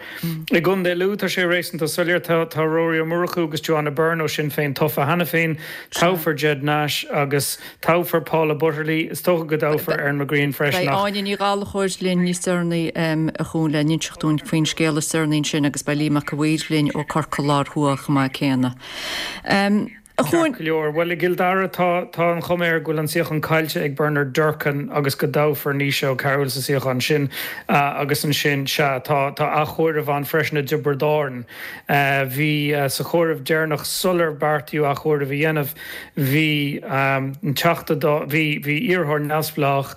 I gContae Lú, tá sé réasúnta soiléir. Tá Rory Ó Murchú agus Joanna Byrne ó Sinn Féin tofa cheana féin. Toghfar Ged Nash agus. Toghfar Paula Butterly. Is dócha go dtoghfar Erin McGreehan freisin Beidh ach. Áine Ní Ghallchóir linn níos deireanaí a Chuain le n-inseacht dúinn faoin scéal is deireanaí ansin agus beidh Liam Mac a' Mhaoir linn ó Corcaigh Láir Thuaidh chomh maith céanna. Ceart go leor. Bhuel, i gCill Dara tá tá an chuma air go bhfuil an suíochán caillte ag Bernard Durkan agus go dtoghfar Naoise Ó Cearúil sa suíochán sin agus ansin, sea, tá tá athchomhaireamh ann freisin i dTiobraid Árann. Bhí sa chomhaireamh deireanach sular beartaíodh athchomhaireamh a dhéanamh, bhí an Teachta Dála, bhí bhí iarrthóir neamhspleách,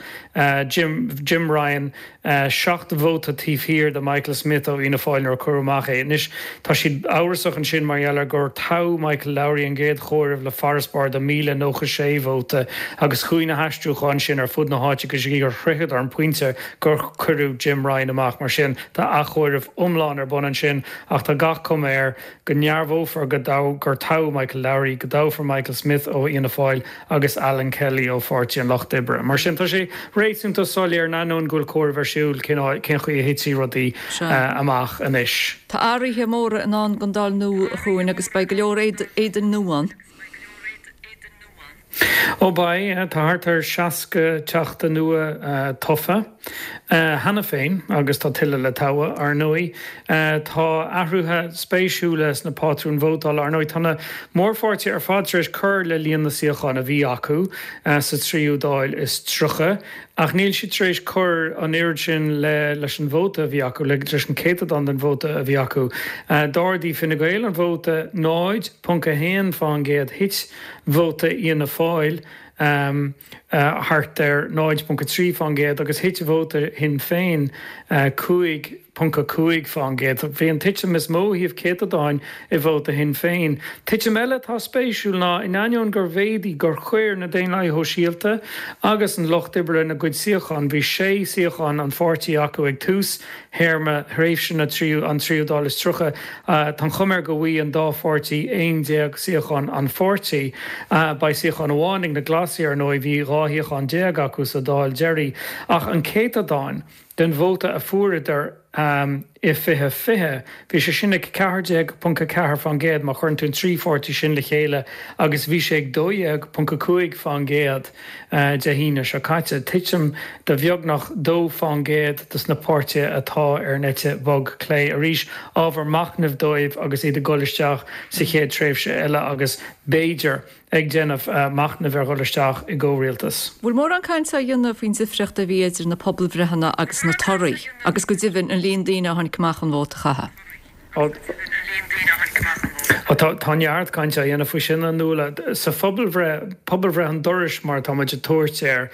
Jim Jim Ryan, 7 vóta taobh thiar de Michael Smith ó Fhianna Fáil nuair a cuireadh amach é. Anois, tá siad amhrasach ansin mar gheall ar gur toghadh Michael Lowry an gcéad chomhaireamh le farasbarr de 1,096 vóta agus chuaigh na haistriúcháin sin ar fud na háite go dtí gur shroicheadar an pointe gur cuireadh Jim Ryan amach. Mar sin, tá athchomhaireamh iomlán ar bun ansin ach tá gach cuma air go ndearbhófar go gur toghadh Michael Lowry, go dtoghfar Michael Smith ó Fhianna Fáil agus Alan Kelly ó Pháirtí an Lucht Oibre. Mar sin, tá sé réasúnta soiléir, in ainneoin go bhfuil comhaireamh ar siúl, cén chaoi a thitfidh rudaí amach anois. Tá athruithe móra i ndán don Dáil nua, a Chuain, agus beidh go leor éadain nua ann. Ó beidh, tá thart ar 60 teachta nua tofa cheana féin agus tá tuilleadh le toghadh, ar ndóigh. Tá athruithe spéisiúla sna pátrúin vótála, ar ndóigh. Tá na mórpháirtithe ar fad tar éis cur le líon na suíochán a bhí acu sa tríú Dáil is 30, ach níl siad tar éis cur an oiread sin le leis an vóta a bhí acu, leis an céatadán den vóta a bhí acu. D'ardaigh Fine Gael an vóta 0.1 fán gcéad, thit vóta Fhianna Fáil thart ar 0.3 fán gcéad agus thit vóta Shinn Féin 5.5 fán gcéad. Bhí an titim is mó ó thaobh céatadáin i vóta Shinn Féin. Titim eile atá spéisiúil ná, in ainneoin gur mhéadaigh, gur chuir na Daonlathaithe Shóisialta agus an Lucht Oibre lena gcuid suíochán, bhí sé suíochán an pháirtí acu ag tús théarma thréimhse na tríú, an tríú Dáil is 30. Tá an chuma air go bhfaighidh an dá pháirtí 11 suíochán an pháirtí. Beidh suíochán amháin ag na Glasaigh, ar ndóigh, bhí 12 shuíochán acu sa Dáil deiridh. Ach an céatadán den vóta a fuaireadar i 2020, bhí sé sin ag 14.4% má chuireann tú an trí pháirtí sin le chéile agus bhí sé ag 12.5% Dé hAoine seo caite. Titim de bheagnach 2% dos na páirtithe atá ar an eite bhog clé. Arís, ábhar machnaimh dóibh agus iad ag dul isteach sa chéad tréimhse eile agus, b'fhéidir, ag déanamh machnaimh ar dhul isteach i gcomhrialtas. Bhfuil mórán cainte á dhéanamh faoin difríocht a bhí idir na pobalbhreitheanna agus na torthaí, agus go deimhin an líon daoine a tháinig amach chun vóta a chaitheamh? Tá neart cainte á dhéanamh faoi sin, a Nuala. Sa phobalbhreith, pobalbhreith an dorais mar atá muid ag tabhairt air,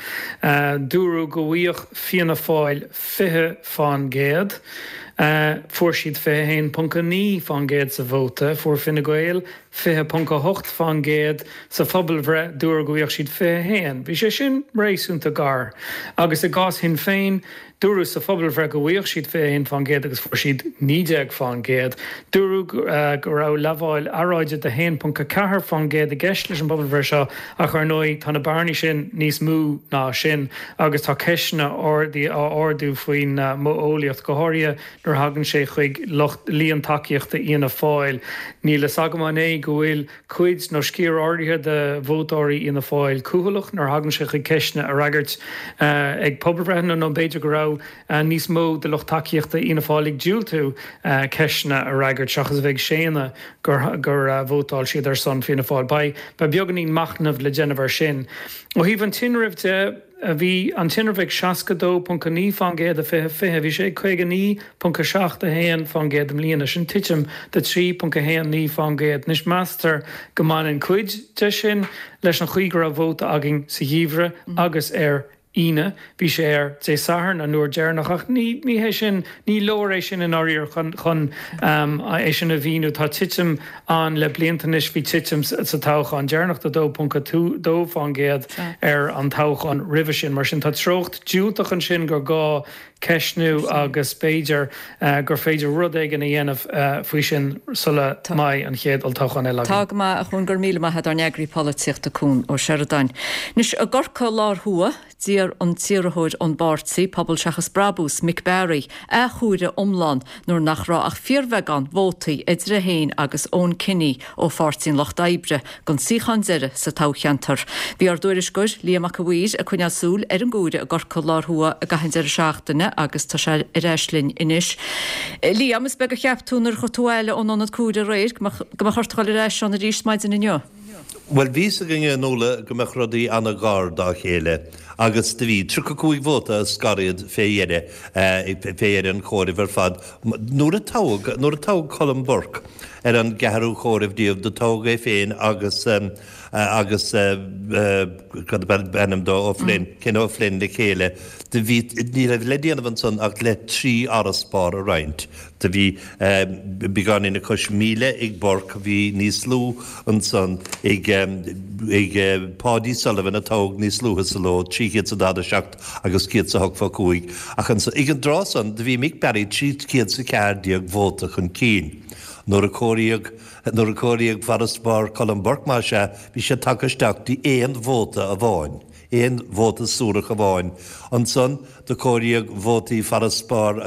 dúradh go bhfaigheadh Fianna Fáil 20 fán gcéad. Fuair siad 21.9 fán gcéad sa vóta. Fuair Fine Gael 20.8 fán gcéad sa phobalbhreith, dúradh go bhfaigheadh siad 21. Bhí sé sin réasúnta gar. Agus i gcás Shinn Féin, Dúradh sa phobalbhreith go bhfaigheadh siad 21 fán gcéad agus fuair siad 19 fán gcéad. Dúradh go raibh lamháil earráide de 1.4 fán gcéad i gceist leis an bpobalbhreith seo ach ar ndóigh tá na bearnaí sin níos mó ná sin agus tá ceisteanna á ardú faoin modheolaíocht, go háirithe nuair a thagann sé chuig lucht líon tacaíochta Fhianna Fáil. Níl fhios agam an é go bhfuil cuid nó sciar áirithe de vótóirí Fhianna Fáil cúthaileach nuair a thagann sé chuig ceisteanna a fhreagairt ag pobalbhreitheanna nó b'fhéidir go raibh níos mó de lucht tacaíochta Fhianna Fáil ag diúltú ceisteanna a fhreagairt seachas a bheith ag séanadh gur vótáil siad ar son Fianna Fáil. Beidh beagáinín machnaimh le déanamh air sin. Ó thaobh an tinrimh de, Bhí an tinreamh ag 62.9 fán gcéad i 2020, bhí sé ag 59.71 fán gcéad i mbliana, sin titim de 3.19 fán gcéad. Anois meastar go mbaineann cuid de sin leis an chaoi go raibh vóta againn sa gheimhreadh agus ar Aoine. Bhí sé ar Dé Sathairn an uair deireanach ach ní hé sin, ní leor é sin i ndáiríre chun chun é sin a mhíniú. Tá titim ann le blianta anois. Bhí titim sa toghchán deireanach de 2.2 fán gcéad ar an toghchán roimhe sin. Mar sin tá treocht diúltach ansin gur gá ceistniú agus b'fhéidir gur féidir rud éigin a dhéanamh faoi sin sula mbeidh an chéad olltoghchán eile againn. Tá go maith, a Chuain, go raibh míle maith agat, ár n-eagraí polaitíochta Cuan Ó Seireadáin. Anois, i gCorcaigh Láir Thuaidh, D'iarr an t-iarrthóir ón bpáirtí, Pobal Seachas Brabús, Mick Barry, athchomhaireamh iomlán nuair nach raibh ach fíorbheagán vótaí idir é féin agus Eoin Kenny ó Pháirtí an Lucht Oibre don suíochán deiridh sa toghcheantar. Bhí ár dtuairisceoir, Liam Mac a' Mhaoir, ag coinneáil súil ar an gcomhaireamh i gCorcaigh Láir Thuaidh i gcaitheamh an deireadh seachtaine agus tá sé ar ais linn anois. Liam, is beag a cheap tú nuair a chuaigh tú abhaile ón ionad comhairimh aréir go mbeadh ort a dhul ar ais ann arís maidin inniu. Bhuel, bhí fhios againn a Nuala go mbeadh rudaí ana-ghar dá chéile agus do bhí. 35 vóta a scar iad fé dheireadh, fé dheireadh an chomhairimh ar fad. Nuair a toghadh, nuair a toghadh Colm Burke ar an gceathrú chomhaireamh díobh, do toghadh é féin agus, agus cad ab ainm dó, O'Flynn, Ken O'Flynn le chéile. Do bhí, ní raibh le déanamh ansan ach le 3 fharasbarr a roinnt. Do bhí beagáinín le cois 1,000 ag Burke, bhí níos lú ansan ag ag Paudie Sullivan a toghadh níos luaithe sa ló, 347 agus 108 fá 5, ach ansan, ag an dtráth san, do bhí Mick Barry 314 vóta chun cinn. Nuair a comhairíodh nuair a comhairíodh farasbarr Colm Burke, más ea, bhí sé tagtha isteach dtí aon vóta amháin. aon vóta suarach amháin. Ansan do comhairíodh vótaí farasbarr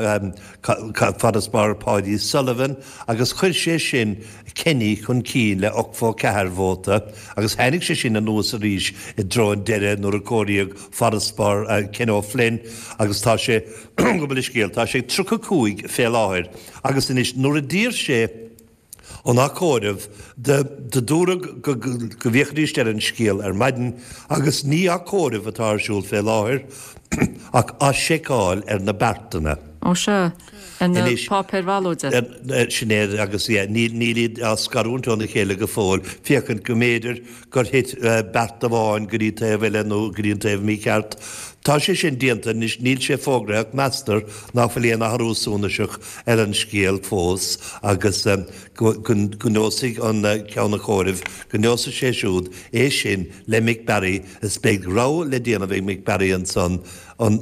farasbarr Paudie Sullivan agus chuir sé sin Kenny chun cinn le 84 vóta agus tháinig sé sin anuas arís i dtreo an deireadh nuair a comhairíodh farasbarr Ken O'Flynn agus tá sé, gabh mo leithscéal, tá sé ag 35 fé láthair agus anois nuair a d'iarr sé an athchomhaireamh, do dúradh go bhféachfaidís ar an scéal ar maidin agus ní athchomhaireamh atá ar siúl fé láthair ach athsheiceáil ar na beartanna. Ó sea, ar na páipéir bhallóide. Sin é agus níl iad á scarúint óna chéile go fóill, féachaint go mb'fhéidir gur thit beart amháin go dtí taobh eile nó go dtí an taobh mícheart. Tá sé sin déanta anois, níl sé fógraithe ach meastar nach bhfuil aon athrú suntasach ar an scéal fós agus go neosfaidh an ceann comhairimh, go neosfaidh sé siúd é sin le Mick Barry is beidh rogha le déanamh ag Mick Barry ansan an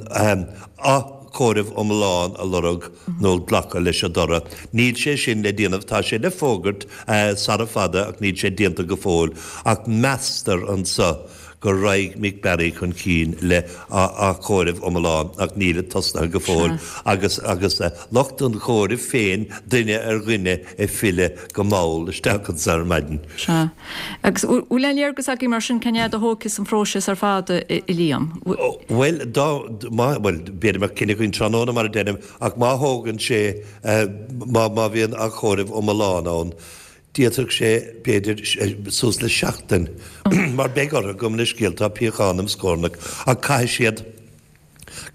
athchomhaireamh iomlán a lorg nó glacadh leis an dtoradh. Níl sé sin le déanamh, tá sé le fógairt sara fada ach níl sé déanta go fóill. Ach meastar anso go raghaidh Mick Barry chun cinn le athchomhaireamh iomlán ach nílid tosnaithe go fóill agus agus lucht an chomhairimh féin duine ar dhuine ag filleadh go mall isteach anso ar maidin. Sea. Agus bhfuil aon léargas agaibh mar sin cén fhad a thógfas an phróiseas ar fad, a Liam? Bhuel, dá, má, bhuel, b'fhéidir go mbeadh cinneadh againn tráthnóna mar a deirim, ach má thógann sé, má, má bhíonn athchomhaireamh iomlán ann, d'fhéadfadh sé, b'fhéidir, suas le seachtain, mar beidh orthu, gabh mo leithscéal, tá piachán im scornach, ach caithfidh siad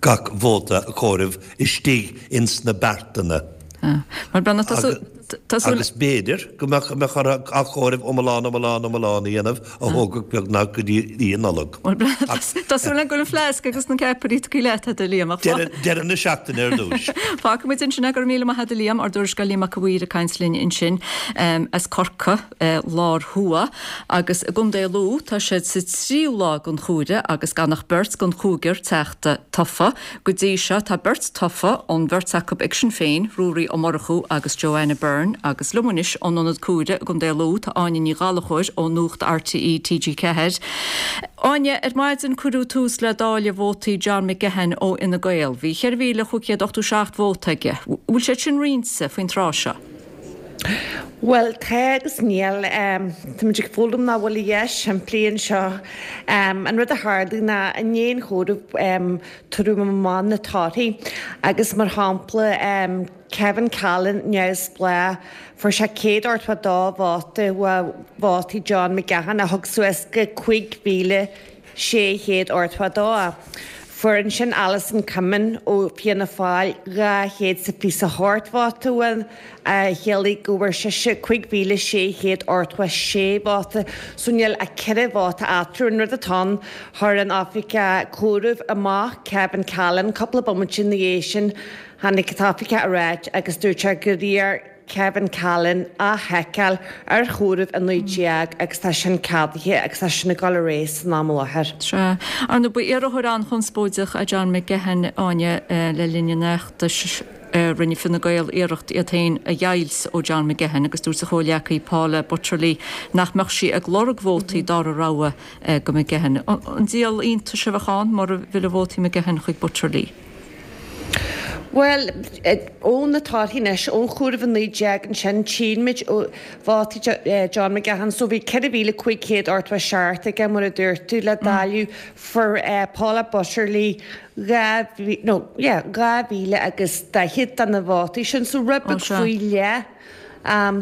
gach vóta a chomhaireamh istigh ins na beartanna. Mar Breandán, tá súil, tá súil. Agus b'fhéidir go mbeadh, mbeadh orthu athchomhaireamh iomlán, iomlán, iomlán a dhéanamh a thógfadh beagnach go dtí oíche Nollag. Bhuel, Breandán, tá súil agam go bhfuil an fleasc agus na ceapairí tugtha leat agat, a Liam, ach Deireadh, deireadh na seachtaine ar dtúis. Fágfaidh muid ansin é, go raibh míle maith agat, a Liam, ár dtuairisceoir Liam Mac a' Mhaoir ag caint linn ansin as Corcaigh. Lár Thuaidh agus i gContae Lú tá siad sa tríú lá den chomhaireamh agus gan ach beirt den chúigear teachta tofa. Go dtí seo tá beirt tofa, an bheirt acu ag Sinn Féin, Ruairí Ó Murchú agus Joanna Byrne agus liom anois ón Ionad Comhairimh i gContae Lú tá Áine Ní Ghallchóir ó Nuacht RTÉ TG4. Áine, ar maidin cuireadh tús le dáileadh vótaí John McGahon ó Fhine Gael. Bhí 4,587 vóta aige. Bhfuil siad sin roinnte faoin tráth seo? Bhuel, tá agus níl. Táimid ag foghlaim nach bhfuil a dhath simplí anseo. An rud a tharla ná i ndiaidh an chomhairimh tabhaireadh amach na torthaí agus mar shampla Kevin Callan, neamhspleách, fuair sé 182 vóta uaidh vótaí John McGahon a thug suas go 5,000 682. Fuair ansin Alison Comyn ó Fianna Fáil 228 vóta uaidh, a chiallaigh go bhfuair sise 5,686 vóta. So níl ach 4 vóta eatarthu. An rud atá ann, chuir an oifigeach comhairimh amach Kevin Callan cúpla bomaite ina dhiaidh sin. Tháinig an t-oifigeach ar ais agus dúirt sé gur iarr Kevin Callan athsheiceáil ar chomhaireamh 19 agus tá sin ceadaithe agus tá sin ag dul ar aghaidh san am i láthair. Sea. Ar ndóigh, ba iarrthóir an-chonspóideach é John McGahon, Áine, le linn an fheachtais. Rinne Fine Gael iarracht iad féin a dheighilt ó John McGahon agus dúirt a chomhghleacaí Paula Butterly nach mbeadh sí ag lorg vótaí dara rogha do McGahon. An díol iontais a bheadh ann mura bhfillfeadh vótaí McGahon chuig Butterly? Bhuel, ó na torthaí anois, ón chomhaireamh 19 ansin, tchímid vótaí John McGahon. So bhí 4,587 aige, mar a dúirt tú, le dáileadh. Fuair Paula Butterly 2,000, no, yeah, 2,000 agus 40 de na vótaí sin, so rud beag faoi leath.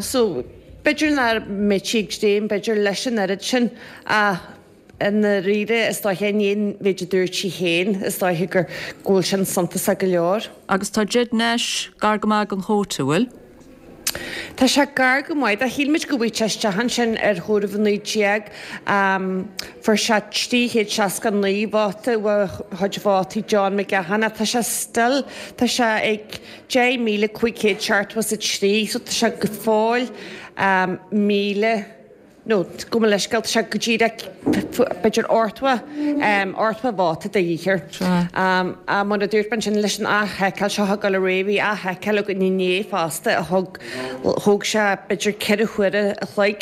So. B'fhéidir nach mbeidh sí ag dréim, b'fhéidir, leis an oiread sin ach i ndáiríre, is dóiche, i ndiaidh an mhéid a dúirt sí féin, is dóiche gur, go bhfuil sin suntasach go leor. Agus tá Ged Nash gar go maith don chóta, an bhfuil? Tá sé gar go maith do. Shíl muid go bhfaighfeadh sé isteach ansin ar chomhaireamh 19. Fuair sé 369 vóta uaidh chuid vótaí John McGahon ach tá sé still, tá sé ag 10,573 so tá sé go fóill 1,000, nó gabh mo leithscéal, tá sé go díreach b'fhéidir 80, 80 vóta de dhíth air. Ach mar a dúirt mé ansin leis an athsheiceáil seo ag dul ar aghaidh, bhí athsheiceáil againn inné fosta a thug, thóg sé b'fhéidir 4 huaire a chloig.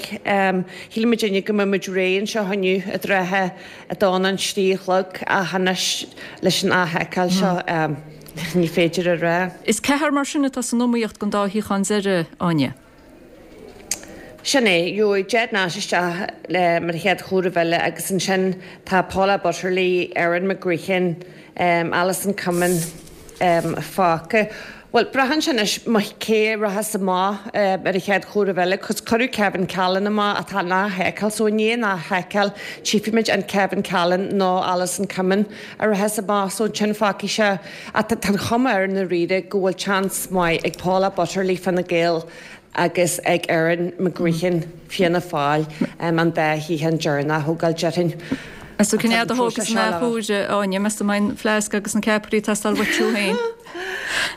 Shíl muidinne go mbeadh muid réidh anseo inniu i dtrátha a dó nó an trí a chlog ach anois leis an athsheiceáil seo ní féidir a rá. Is ceathrar mar sin atá san iomaíocht don dá shuíochán deiridh, Áine. Sin é, gheobhaidh Ged Nash isteach mar chéad chomhaireamh eile agus ansin tá Paula Butterly, Erin McGreehan, Alison Comyn fágtha. Bhuel, braitheann sé anois cé a rachas amach ar an chéad chomhaireamh eile cos cuireadh Kevin Callan amach ach tá an athsheiceáil so i ndiaidh an athsheiceáil tchífimid an Kevin Callan nó Alison Comyn a rachas amach so ansin fágfaidh sé Ach tá an chuma air i ndáiríre go bhfuil seans maith ag Paula Butterly, Fine Gael, agus ag Erin McGreehan, Fianna Fáil, an dá shuíochán deireanach a thógáil, déarfainn. Meas tú cén fhad a thógfas an athuair, a Áine? Meas tú an mbeidh an fleasc agus na ceapairí ag teastáil uait thú féin?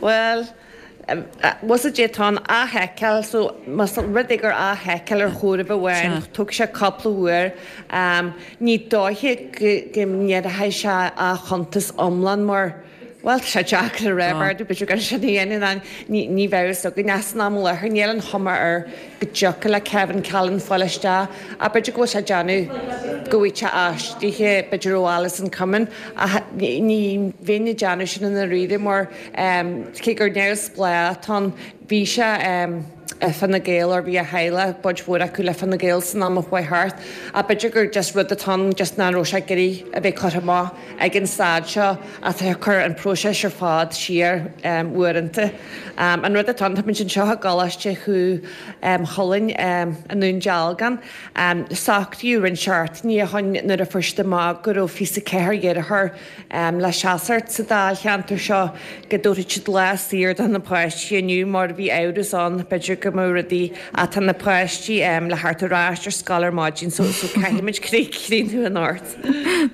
Bhuel, bhfuil a fhios agat tá an athsheiceáil so más rud é gur athsheiceáil ar chomhaireamh amháin tógfaidh sé cúpla uair. Ní dóiche go ndéarfaidh sé athchuntas iomlán mar, bhuel tá sé deacair a rá, b'fhéidir b'fhéidir gur sin a dhéanann an, ní bheadh fhios againn ach san am i láthair níl an chuma air go dtiocfadh le Kevin Callan fáil isteach ach b'fhéidir go bhfuil sé ag déanamh go bhfaighidh sé aistrithe b'fhéidir ó Alison Comyn ach ní bheinn ag déanamh sin i ndáiríre mar Cé gur neamhspleách atá ann, bhí sé i Fine Gael or bhí a theaghlach, baint mhór acu le Fine Gael san am a chuaigh thart. Ach b'fhéidir gur just rud atá ann just nach raibh sé ag iarraidh a bheith curtha amach ag an staid seo atá ag cur an próiseas ar fad siar uaireanta. An rud atá ann, tá muid anseo i gColáiste Chú Chulainn i nDún Dealgan. Socraíodh roinnt seachtainí ó shin nuair a fuair siad amach go raibh 24 dheartháir le seasacht sa dáilcheantar seo go dtabharfadh siad lá saor do na páistí inniu mar bhí amhras ann b'fhéidir go mbeadh rudaí ach tá na páistí le theacht ar ais ar scoil ar maidin so so caithfimid críochnú anocht.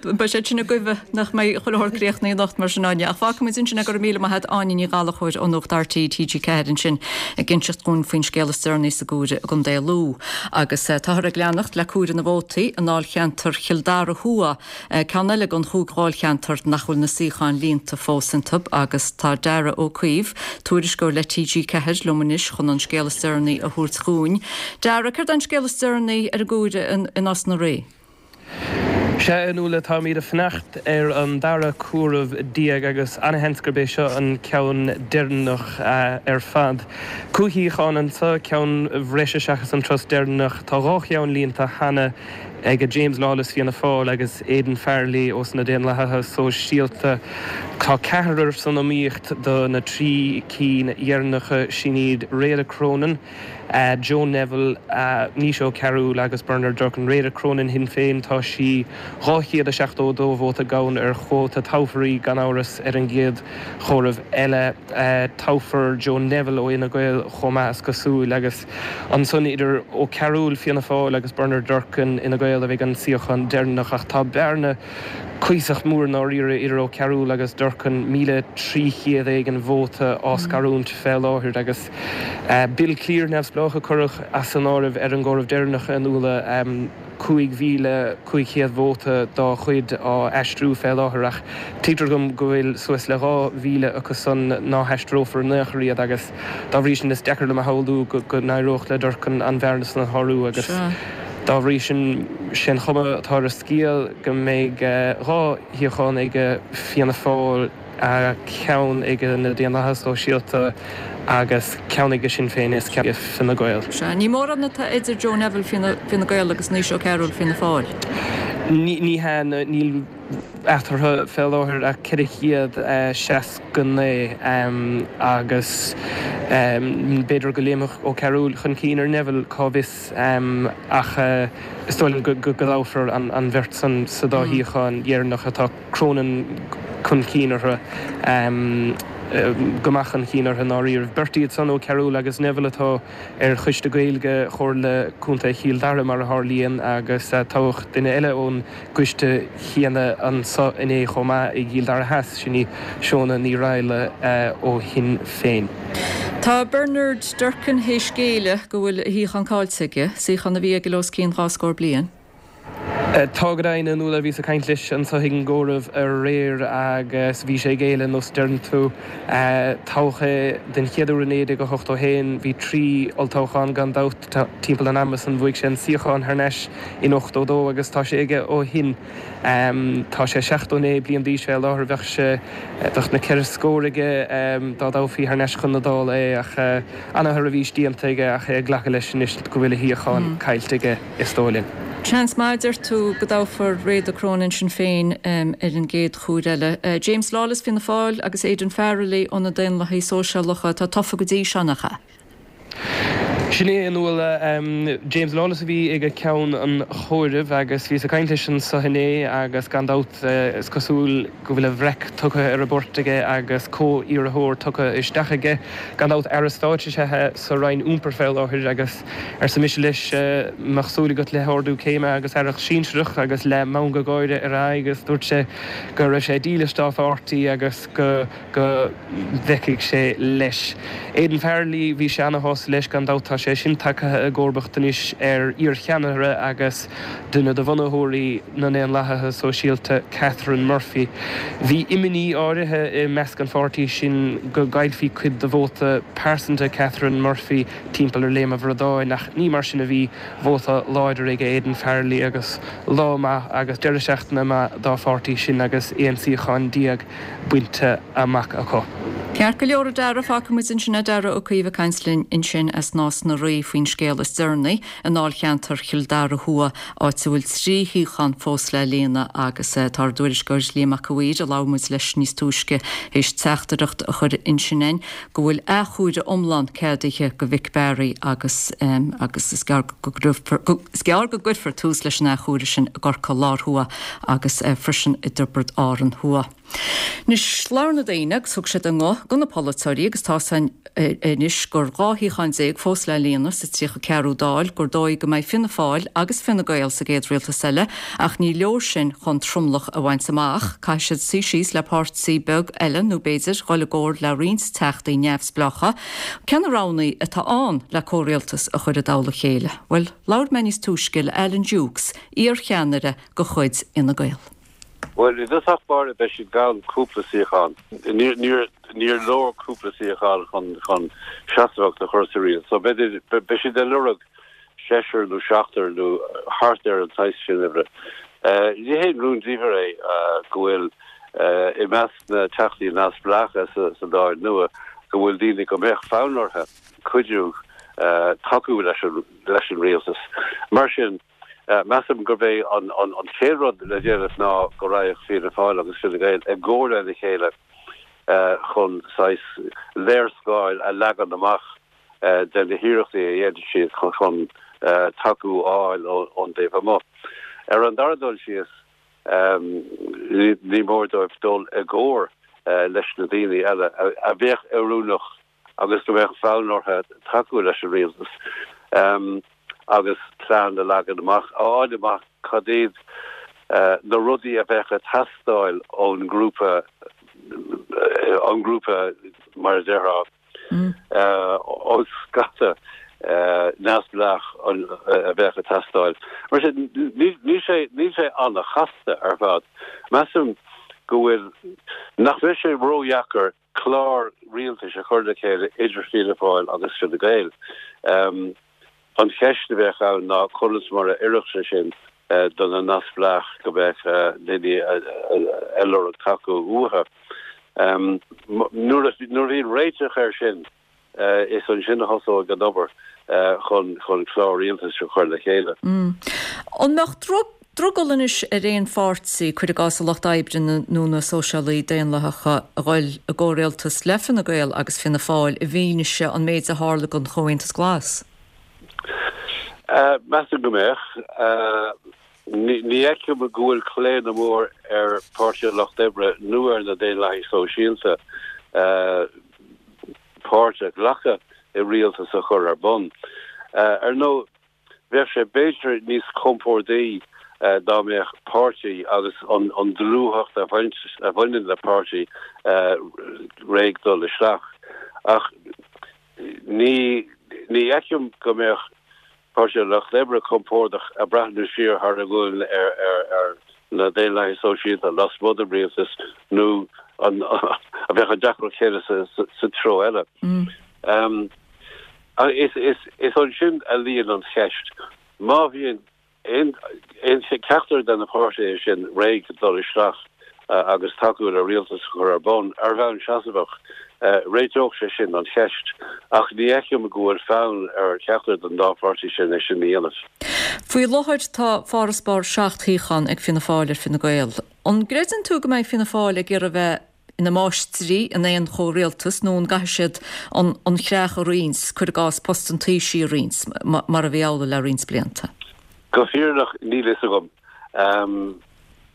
Beidh siad sin ag goimh nach mbeidh chuile shórt críochnaithe anocht mar sin Áine. Ach fágfaimid ansin é go raibh míle maith a't Áine Ní Ghallchóir ó Nuacht RTÉ TG4 ansin ag inseacht dhúinn faoin scéal is deireanaí sa gcomhaireamh i gContae Lú. Agus táthar ag leanacht le comhaireamh na vótaí i ndáilcheantar Chill Dara Thuaidh. Ceann eile den chúig dháilcheantar nach bhfuil na suíocháin líonta fós iontu agus tá Darragh Ó Caoimh, tuairisceoir le TG4, liom anois chun an scéal is deireanaí a thabhairt dhúinn. Darragh, céard é an scéal is deireanaí ar an gcomhaireamh i Nás na Rí? Sea, a Nuala, táimid ag fanacht ar an dara comhaireamh déag agus ana-sheans gurb é seo an ceann deireanach ar fad. Cúig shuíochán anseo, ceann bhreise seachas an turas deireanach. Tá dhá cheann líonta cheana. ag James Lawless Fianna Fáil agus Aidan Farrelly ós na Daonlathaithe Sóisialta. Tá ceathrar san iomaíocht do na trí cinn dheireanacha, sin iad Réada Cronin, Joe Neville, Naoise Ó Cearúil agus Bernard Durkan. Réada Cronin Shinn Féin, tá sí 272 vóta gann ar chuóta. Toghfar í gan amhras ar an gcéad chomhaireamh eile. Toghfar Joe Neville ó Fhine Gael chomh maith is cosúil agus. Ansan idir Ó Cearúil, Fianna Fáil, agus Bernard Durkan, Fhine Gael, a bheidh an suíochán deireanach ach tá bearna cuíosach mór i ndáiríre idir Ó Cearúil agus Durkan, 1,300 éigin vóta á scarúint fé láthair agus Bill Cleere, neamhspleách, a cuireadh as an áireamh ar an gcomhaireamh deireanach a Nuala. 5,500 vóta dá chuid á aistriú fé láthair ach tuigtear dom go bhfuil suas le 2,000 acu san ná haistreofar in aon chor iad agus dá bhrí sin is deacair liom a shamhlú go n-éireodh le Durkan an bhearna san a shárú agus dá bhrí sin sén chuma atá ar an scéal go mbeidh dhá shuíochán ag Fianna Fáil. ceann ag na Daonlathaithe Sóisialta agus ceann ag Sinn Féin is ceann ag Fine Gael. Sea, ní mórán atá idir Joe Neville Fine Gael agus Naoise Ó Cearúil Fianna Fáil. Ní hea, níl. eatarthu fé láthair ach 469 agus b'fhéidir go léimfeadh Ó Cearúil chun cinn ar Neville, cá bhfios, ach is dóigh liom go dtoghfar an bheirt san sa dá shuíochán dheireanach atá Cronin chun cinn orthu, go maith chun cinn orthu i ndáiríribh. Beirt iad san, Ó Cearúil agus Neville, atá ar Choiste Gaeilge Chomhairle Contae Chill Dara, mar a tharlaíonn, agus toghadh duine eile ón gcoiste chéanna anso inné chomh maith i gCill Dara Theas, sin í Shóna Ní Raghallaigh ó Shinn Féin. Tá Bernard Durkan théis géilleadh go bhfuil a shuíochán caillte aige, suíochán a bhí aige le os cionn 20 scór bliain. Tá go deimhin, a Nuala, bhíos ag caint leis anso ag an gcomhaireamh aréir agus bhí sé ag géilleadh, nós a deireann tú. Toghadh é den chéad uair i 1981, bhí 3 olltoghchán gan dabht timpeall an ama san, bhuaigh sé an suíochán thar n-ais in 82 agus tá sé aige ó shin. Tá sé 79 bliain d'aois fé láthair, bheadh sé, bheadh na ceithre scór aige dá dtoghfaí thar n-ais chun na Dála é ach ana-sheirbhís déanta aige ach é ag glacadh leis anois go bhfuil a shuíochán caillte aige. is dóigh linn. Seans maith, a deir tú, go dtoghfar Réada Cronin Sinn Féin ar an gcéad chuair eile. James Lawless, Fianna Fáil, agus Aidan Farrelly ó na Daonlathaithe Sóisialacha atá tofa go dtí seo, nach ea? Sin é, a Nuala. James Lawless a bhí ag ceann an chomhairimh agus bhíos ag caint leis anso inné agus gan dabht is cosúil go bhfuil a bhreac tugtha ar an bport aige agus comh-iarrthóir tugtha isteach aige. Gan dabht Aire Stáit is ea é sa Roinn Iompair fé láthair agus Arsa mise leis, mbeadh súil agat le hardú céime agus aireacht sinsearach agus le meangadh gáire ar a aghaidh agus dúirt sé go raibh sé dílis dá pháirtí agus go go bhfeicfeadh sé leis. Aidan Farrelly, bhí sé ana-shásta leis gan dabht, tá sé sin tagtha i gcomharbacht anois ar iar-cheannaire agus duine de bhunaitheoirí na nDaonlathaithe Sóisialta, Catherine Murphy. Bhí imní áirithe i measc an pháirtí sin go gcaillfí cuid de vóta pearsanta Catherine Murphy timpeall ar Léim an Bhradáin, ach ní mar sin a bhí. Vóta láidir ag Aidan Farrelly agus lá maith agus deireadh seachtaine maith dá pháirtí sin agus 11 suíochán bainte amach acu. Ceart go leor a Dara, fágfaidh muid ansin é Dara Ó Caoimh ag caint linn ansin as Nás na Rí faoin scéal is deireanaí i ndáilcheantar Chill Dara Thuaidh, áit a bhfuil 3 shuíochán fós le líonadh agus tá ár dtuairisceoir Liam Mac a' Mhaoir, a labhair muid leis níos túisce, théis teachtaireacht a chur ansin againn go bhfuil athchomhaireamh iomlán ceadaithe do Mhick Barry agus agus is gearr go is gearr go gcuirfear tús leis an athchomhaireamh sin i gCorcaigh Láir Thuaidh agus freisin i dTiobraid Árann Thuaidh. Anois labhair na daoine agus thug siad a nguth do na polaiteoirí agus tá's againn anois gur 12 shuíochán fós le líonadh sa 34ú Dáil, gur dóigh go mbeidh Fianna Fáil agus Fine Gael sa gcéad rialtas eile ach ní leor sin chun tromlach a bhaint amach. Caithfidh siad suí síos le páirtí beag eile nó b'fhéidir dhul i gcomhar le roinnt teachtaí neamhspleácha. Cé na roghanna atá ann le comhrialtas a chur i dtoll a chéile? Bhuel, labhair mé níos túisce le Alan Dukes, iarcheannaire de chuid Fhine Gael. Bhuel, i dtosach báire beidh siad gann cúpla suíochán. Níor leor cúpla suíochán chun seasmhacht a chur sa rialtas. So beidh siad ag lorg seisear nó seachtar nó thart ar an saghas sin uimhre. Ní haon rúndiamhair é go bhfuil i measc na Teachtaí Neamhspleácha sa Dáil nua go bhfuil daoine go mbeadh fonn orthu cuidiú tacú leis an rialtas. Mar sin, Measaim gurb é an chéad rud le déanamh ná go raghadh Fianna Fáil agus Fine Gael i gcomhar lena chéile chun saghas léarscáil a leagan amach de na hiarrachtaí a dhéanfaidh siad chun tacú a fháil ón dtaobh amuigh. Ar an dara dul síos, ní mór dóibh dul i gcomhar leis na daoine eile a bheadh oiriúnach agus go mbeadh fonn orthu tacú leis an rialtas agus plean a leagan amach, a fháil amach cad iad na rudaí a bheadh ag teastáil ón ngrúpa, ón ngrúpa mar a déarfá, ón scata neamhspleách a bheadh ag teastáil. Mar sin, níl sé, níl sé an-chasta ar fad. Measaim go bhfuil, nach mbeidh sé ródheacair clár rialtais a chur le chéile idir Fianna Fáil agus Fine Gael. An cheist a bheadh ann ná conas mar a oirfeadh sé sin do na neamhspleách go mbeadh daoine ag lorg tacú uathu. Nuair a bhíonn réiteach air sin, Is ansin a thosóidh an obair chun clár rialtais a chur le chéile. An mbeadh. drogall anois ar aon pháirtí, cuir i gcás an Lucht Oibre nó na Sóisialaí Daonlathacha, a ghoil i gcomhrialtas le Fine Gael agus Fianna Fáil i bhfianaise an méid a tharla don Chomhaontas Glas? Measaim go mbeadh. Ní fheicim go bhfuil claonadh mór ar Pháirtí an Lucht Oibre nó ar na Daonlathaigh Sóisialta páirt a ghlacadh i rialtas a chur ar bun. Ar ndóigh, bheadh sé b'fhéidir níos compórdaí dá mbeadh páirtí agus an dlúthacht a bhaineann le páirtí réidh dul isteach. Ach ní fheicim go mbeadh Páirtí an Lucht Oibre compordach ag breathnú siar thar a gualainn ar na Daonlathaigh Sóisialta lasmuigh den rialtas nó an bheadh an deacracht chéanna sa treo eile. Is ansin a luíonn an cheist. Má bhíonn aon cheachtar de na páirtithe sin réidh dul isteach agus tacú le rialtas a chur ar bun ar bhonn seasmhach, réiteodh sé sin an cheist. Ach ní fheicim go bhfuil fonn ar cheachtar den dá pháirtí sin é sin a dhéanamh. Faoi láthair tá farasbarr 7 shuíochán ag Fianna Fáil ar Fine Gael. An gcreideann tú go mbeidh Fianna Fáil ag iarraidh a bheith ina máistrí in aon chomhrialtas nó an gcaithfidh siad an chreach a roinnt, cuir i gcás post an Taoisigh a roinnt, mar a bhí amhlaidh le roinnt blianta? Go fírinneach níl fhios agam.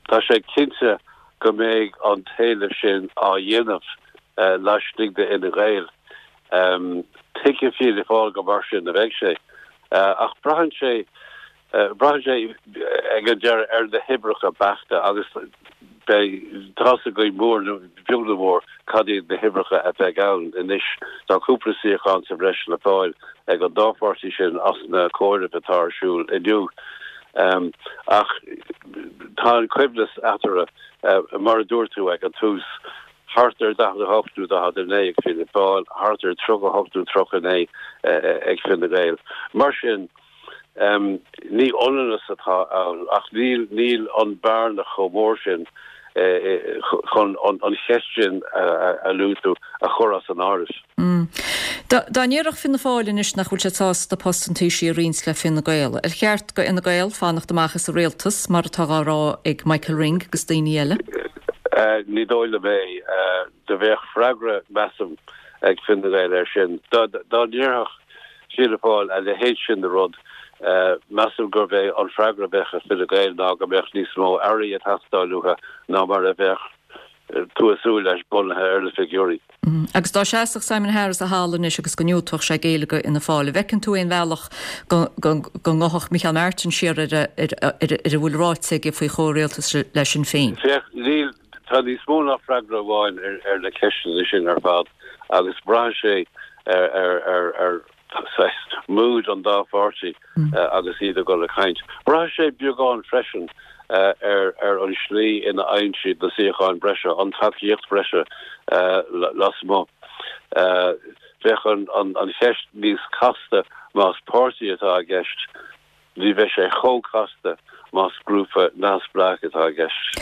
Tá sé cinnte go mbeidh an t-éileamh sin á dhéanamh laistigh de Fhine Gael. Tuigfidh Fianna Fáil go mar sin a bheidh sé. Ach braitheann sé Braitheann sé ag an deireadh ar na huimhreacha beachta agus beidh tá's againn mór nó beag nó mór cad iad na huimhreacha a bheidh ann anois. Tá cúpla suíochán sa bhreis le fáil ag an dá pháirtí sin as na comhairimh atá ar siúl inniu. Ach tá an coibhneas eatarthu, mar a dúirt tú ag an tús, thart ar 48 nó 49 ag Fianna Fáil, thart ar 38 nó 39 ag Fine Gael. Mar sin, Ní ionannas atá ann ach níl níl an bhearna chomh mór sin chun an cheist sin a luaigh tú a chur as an áireamh. Dá ndéarfadh Fianna Fáil anois nach bhfuil siad sásta post an Taoisigh a roinnt le Fine Gael, ar cheart do Fhine Gael fanacht amach as an rialtas, mar atá á rá ag Michael Ring agus daoine eile? Ní dóigh liom é. Do bheadh freagra, measaim, ag Fine Gael air sin. Dá ndéarfadh Fianna Fáil a leithéid sin de rud, measaim gurbh é an freagra a bheadh ag Fine Gael ná go mbeadh níos mó airí ag teastáil uathu ná mar a bheadh tú ag súil leis bunaithe ar na figiúirí. Agus dá seasfadh Simon Harris thall anois agus go ndiúltódh sé géilleadh do Fhianna Fáil, an bhfeiceann tú aon bhealach go ngabhfadh Micheál Martin siar ar a bhfuil ráite aige faoi chomhrialtas le Sinn Féin? Féach, níl. Tá níos mó ná freagra amháin ar na ceisteanna sin ar fad agus braitheann sé ar saghas mood an dá pháirtí agus iad ag dul ag caint. Braitheann sé beagán freisin ar an slí ina fhaigheann siad na suíocháin breise, an tacaíocht bhreise lasmuigh. Bheadh an cheist níos casta más páirtí atá i gceist. Ní bheidh sé chomh casta más grúpa neamhspleách atá i gceist.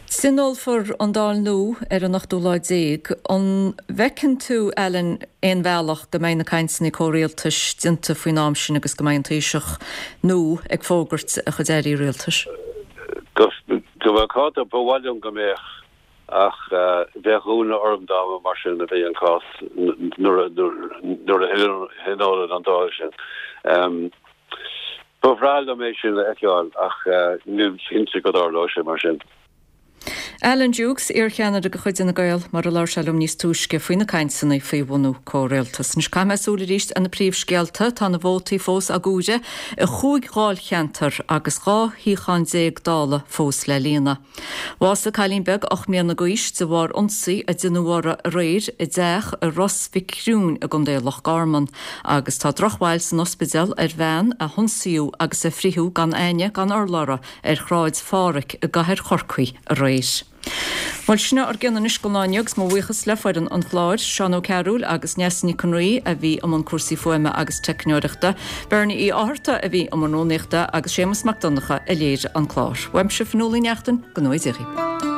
Tionólfar an Dáil nua ar an ochtú lá déag. An bhfeiceann tú, Alan, aon bhealach go mbeidh na cainteanna comhrialtais déanta faoin am sin agus go mbeidh an Taoiseach nua ag fógairt a chuid airí rialtais? Go macánta, ba mhaith liom go mbeadh. Ach bheadh ionadh orm dá mba mar sin a bhí an cás nuair a thionólann an Dáil sin. Ba bhreá liom é sin a fheiceáil ach nílim cinnte go dtarlóidh sé mar sin. Alan Dukes, iarcheannaire de chuid Fhine Gael, mar a labhair sé liom níos túisce faoi na cainteanna faoi bhunú comhrialtas. Anois caithfidh mé súil arís ar na príomhscéalta. Tá na vótaí fós á gcomhaireamh i chúig dháilcheantar agus 12 shuíochán Dála fós le líonadh. Bhásaigh cailín beag 8 mbliana d'aois de bharr ionsaí a deineadh uirthi aréir i dteach i Ros Mhic Thriúin i gContae Loch Garman agus tá drochbhail san ospidéal ar bhean a hionsaíodh agus a fritheadh gan aithne gan urlabhra ar Shráid Phádhraic i gcathair Chorcaí aréir. Bhuel, sin ár gcion anois don lá inniu agus mo bhuíochas le foireann an chláir, Seán Ó Cearúil agus Neasa Nic an Rí a bhí i mbun cúrsaí fuaime agus teicneoireachta, Bernie Uí Fhátharta a bhí i mbun rúnaíochta agus Séamus Mac Donncha a léirigh an clár. Uaimse Fionnuala Ní Neachtain, go ngnóthaí Dia dhaoibh.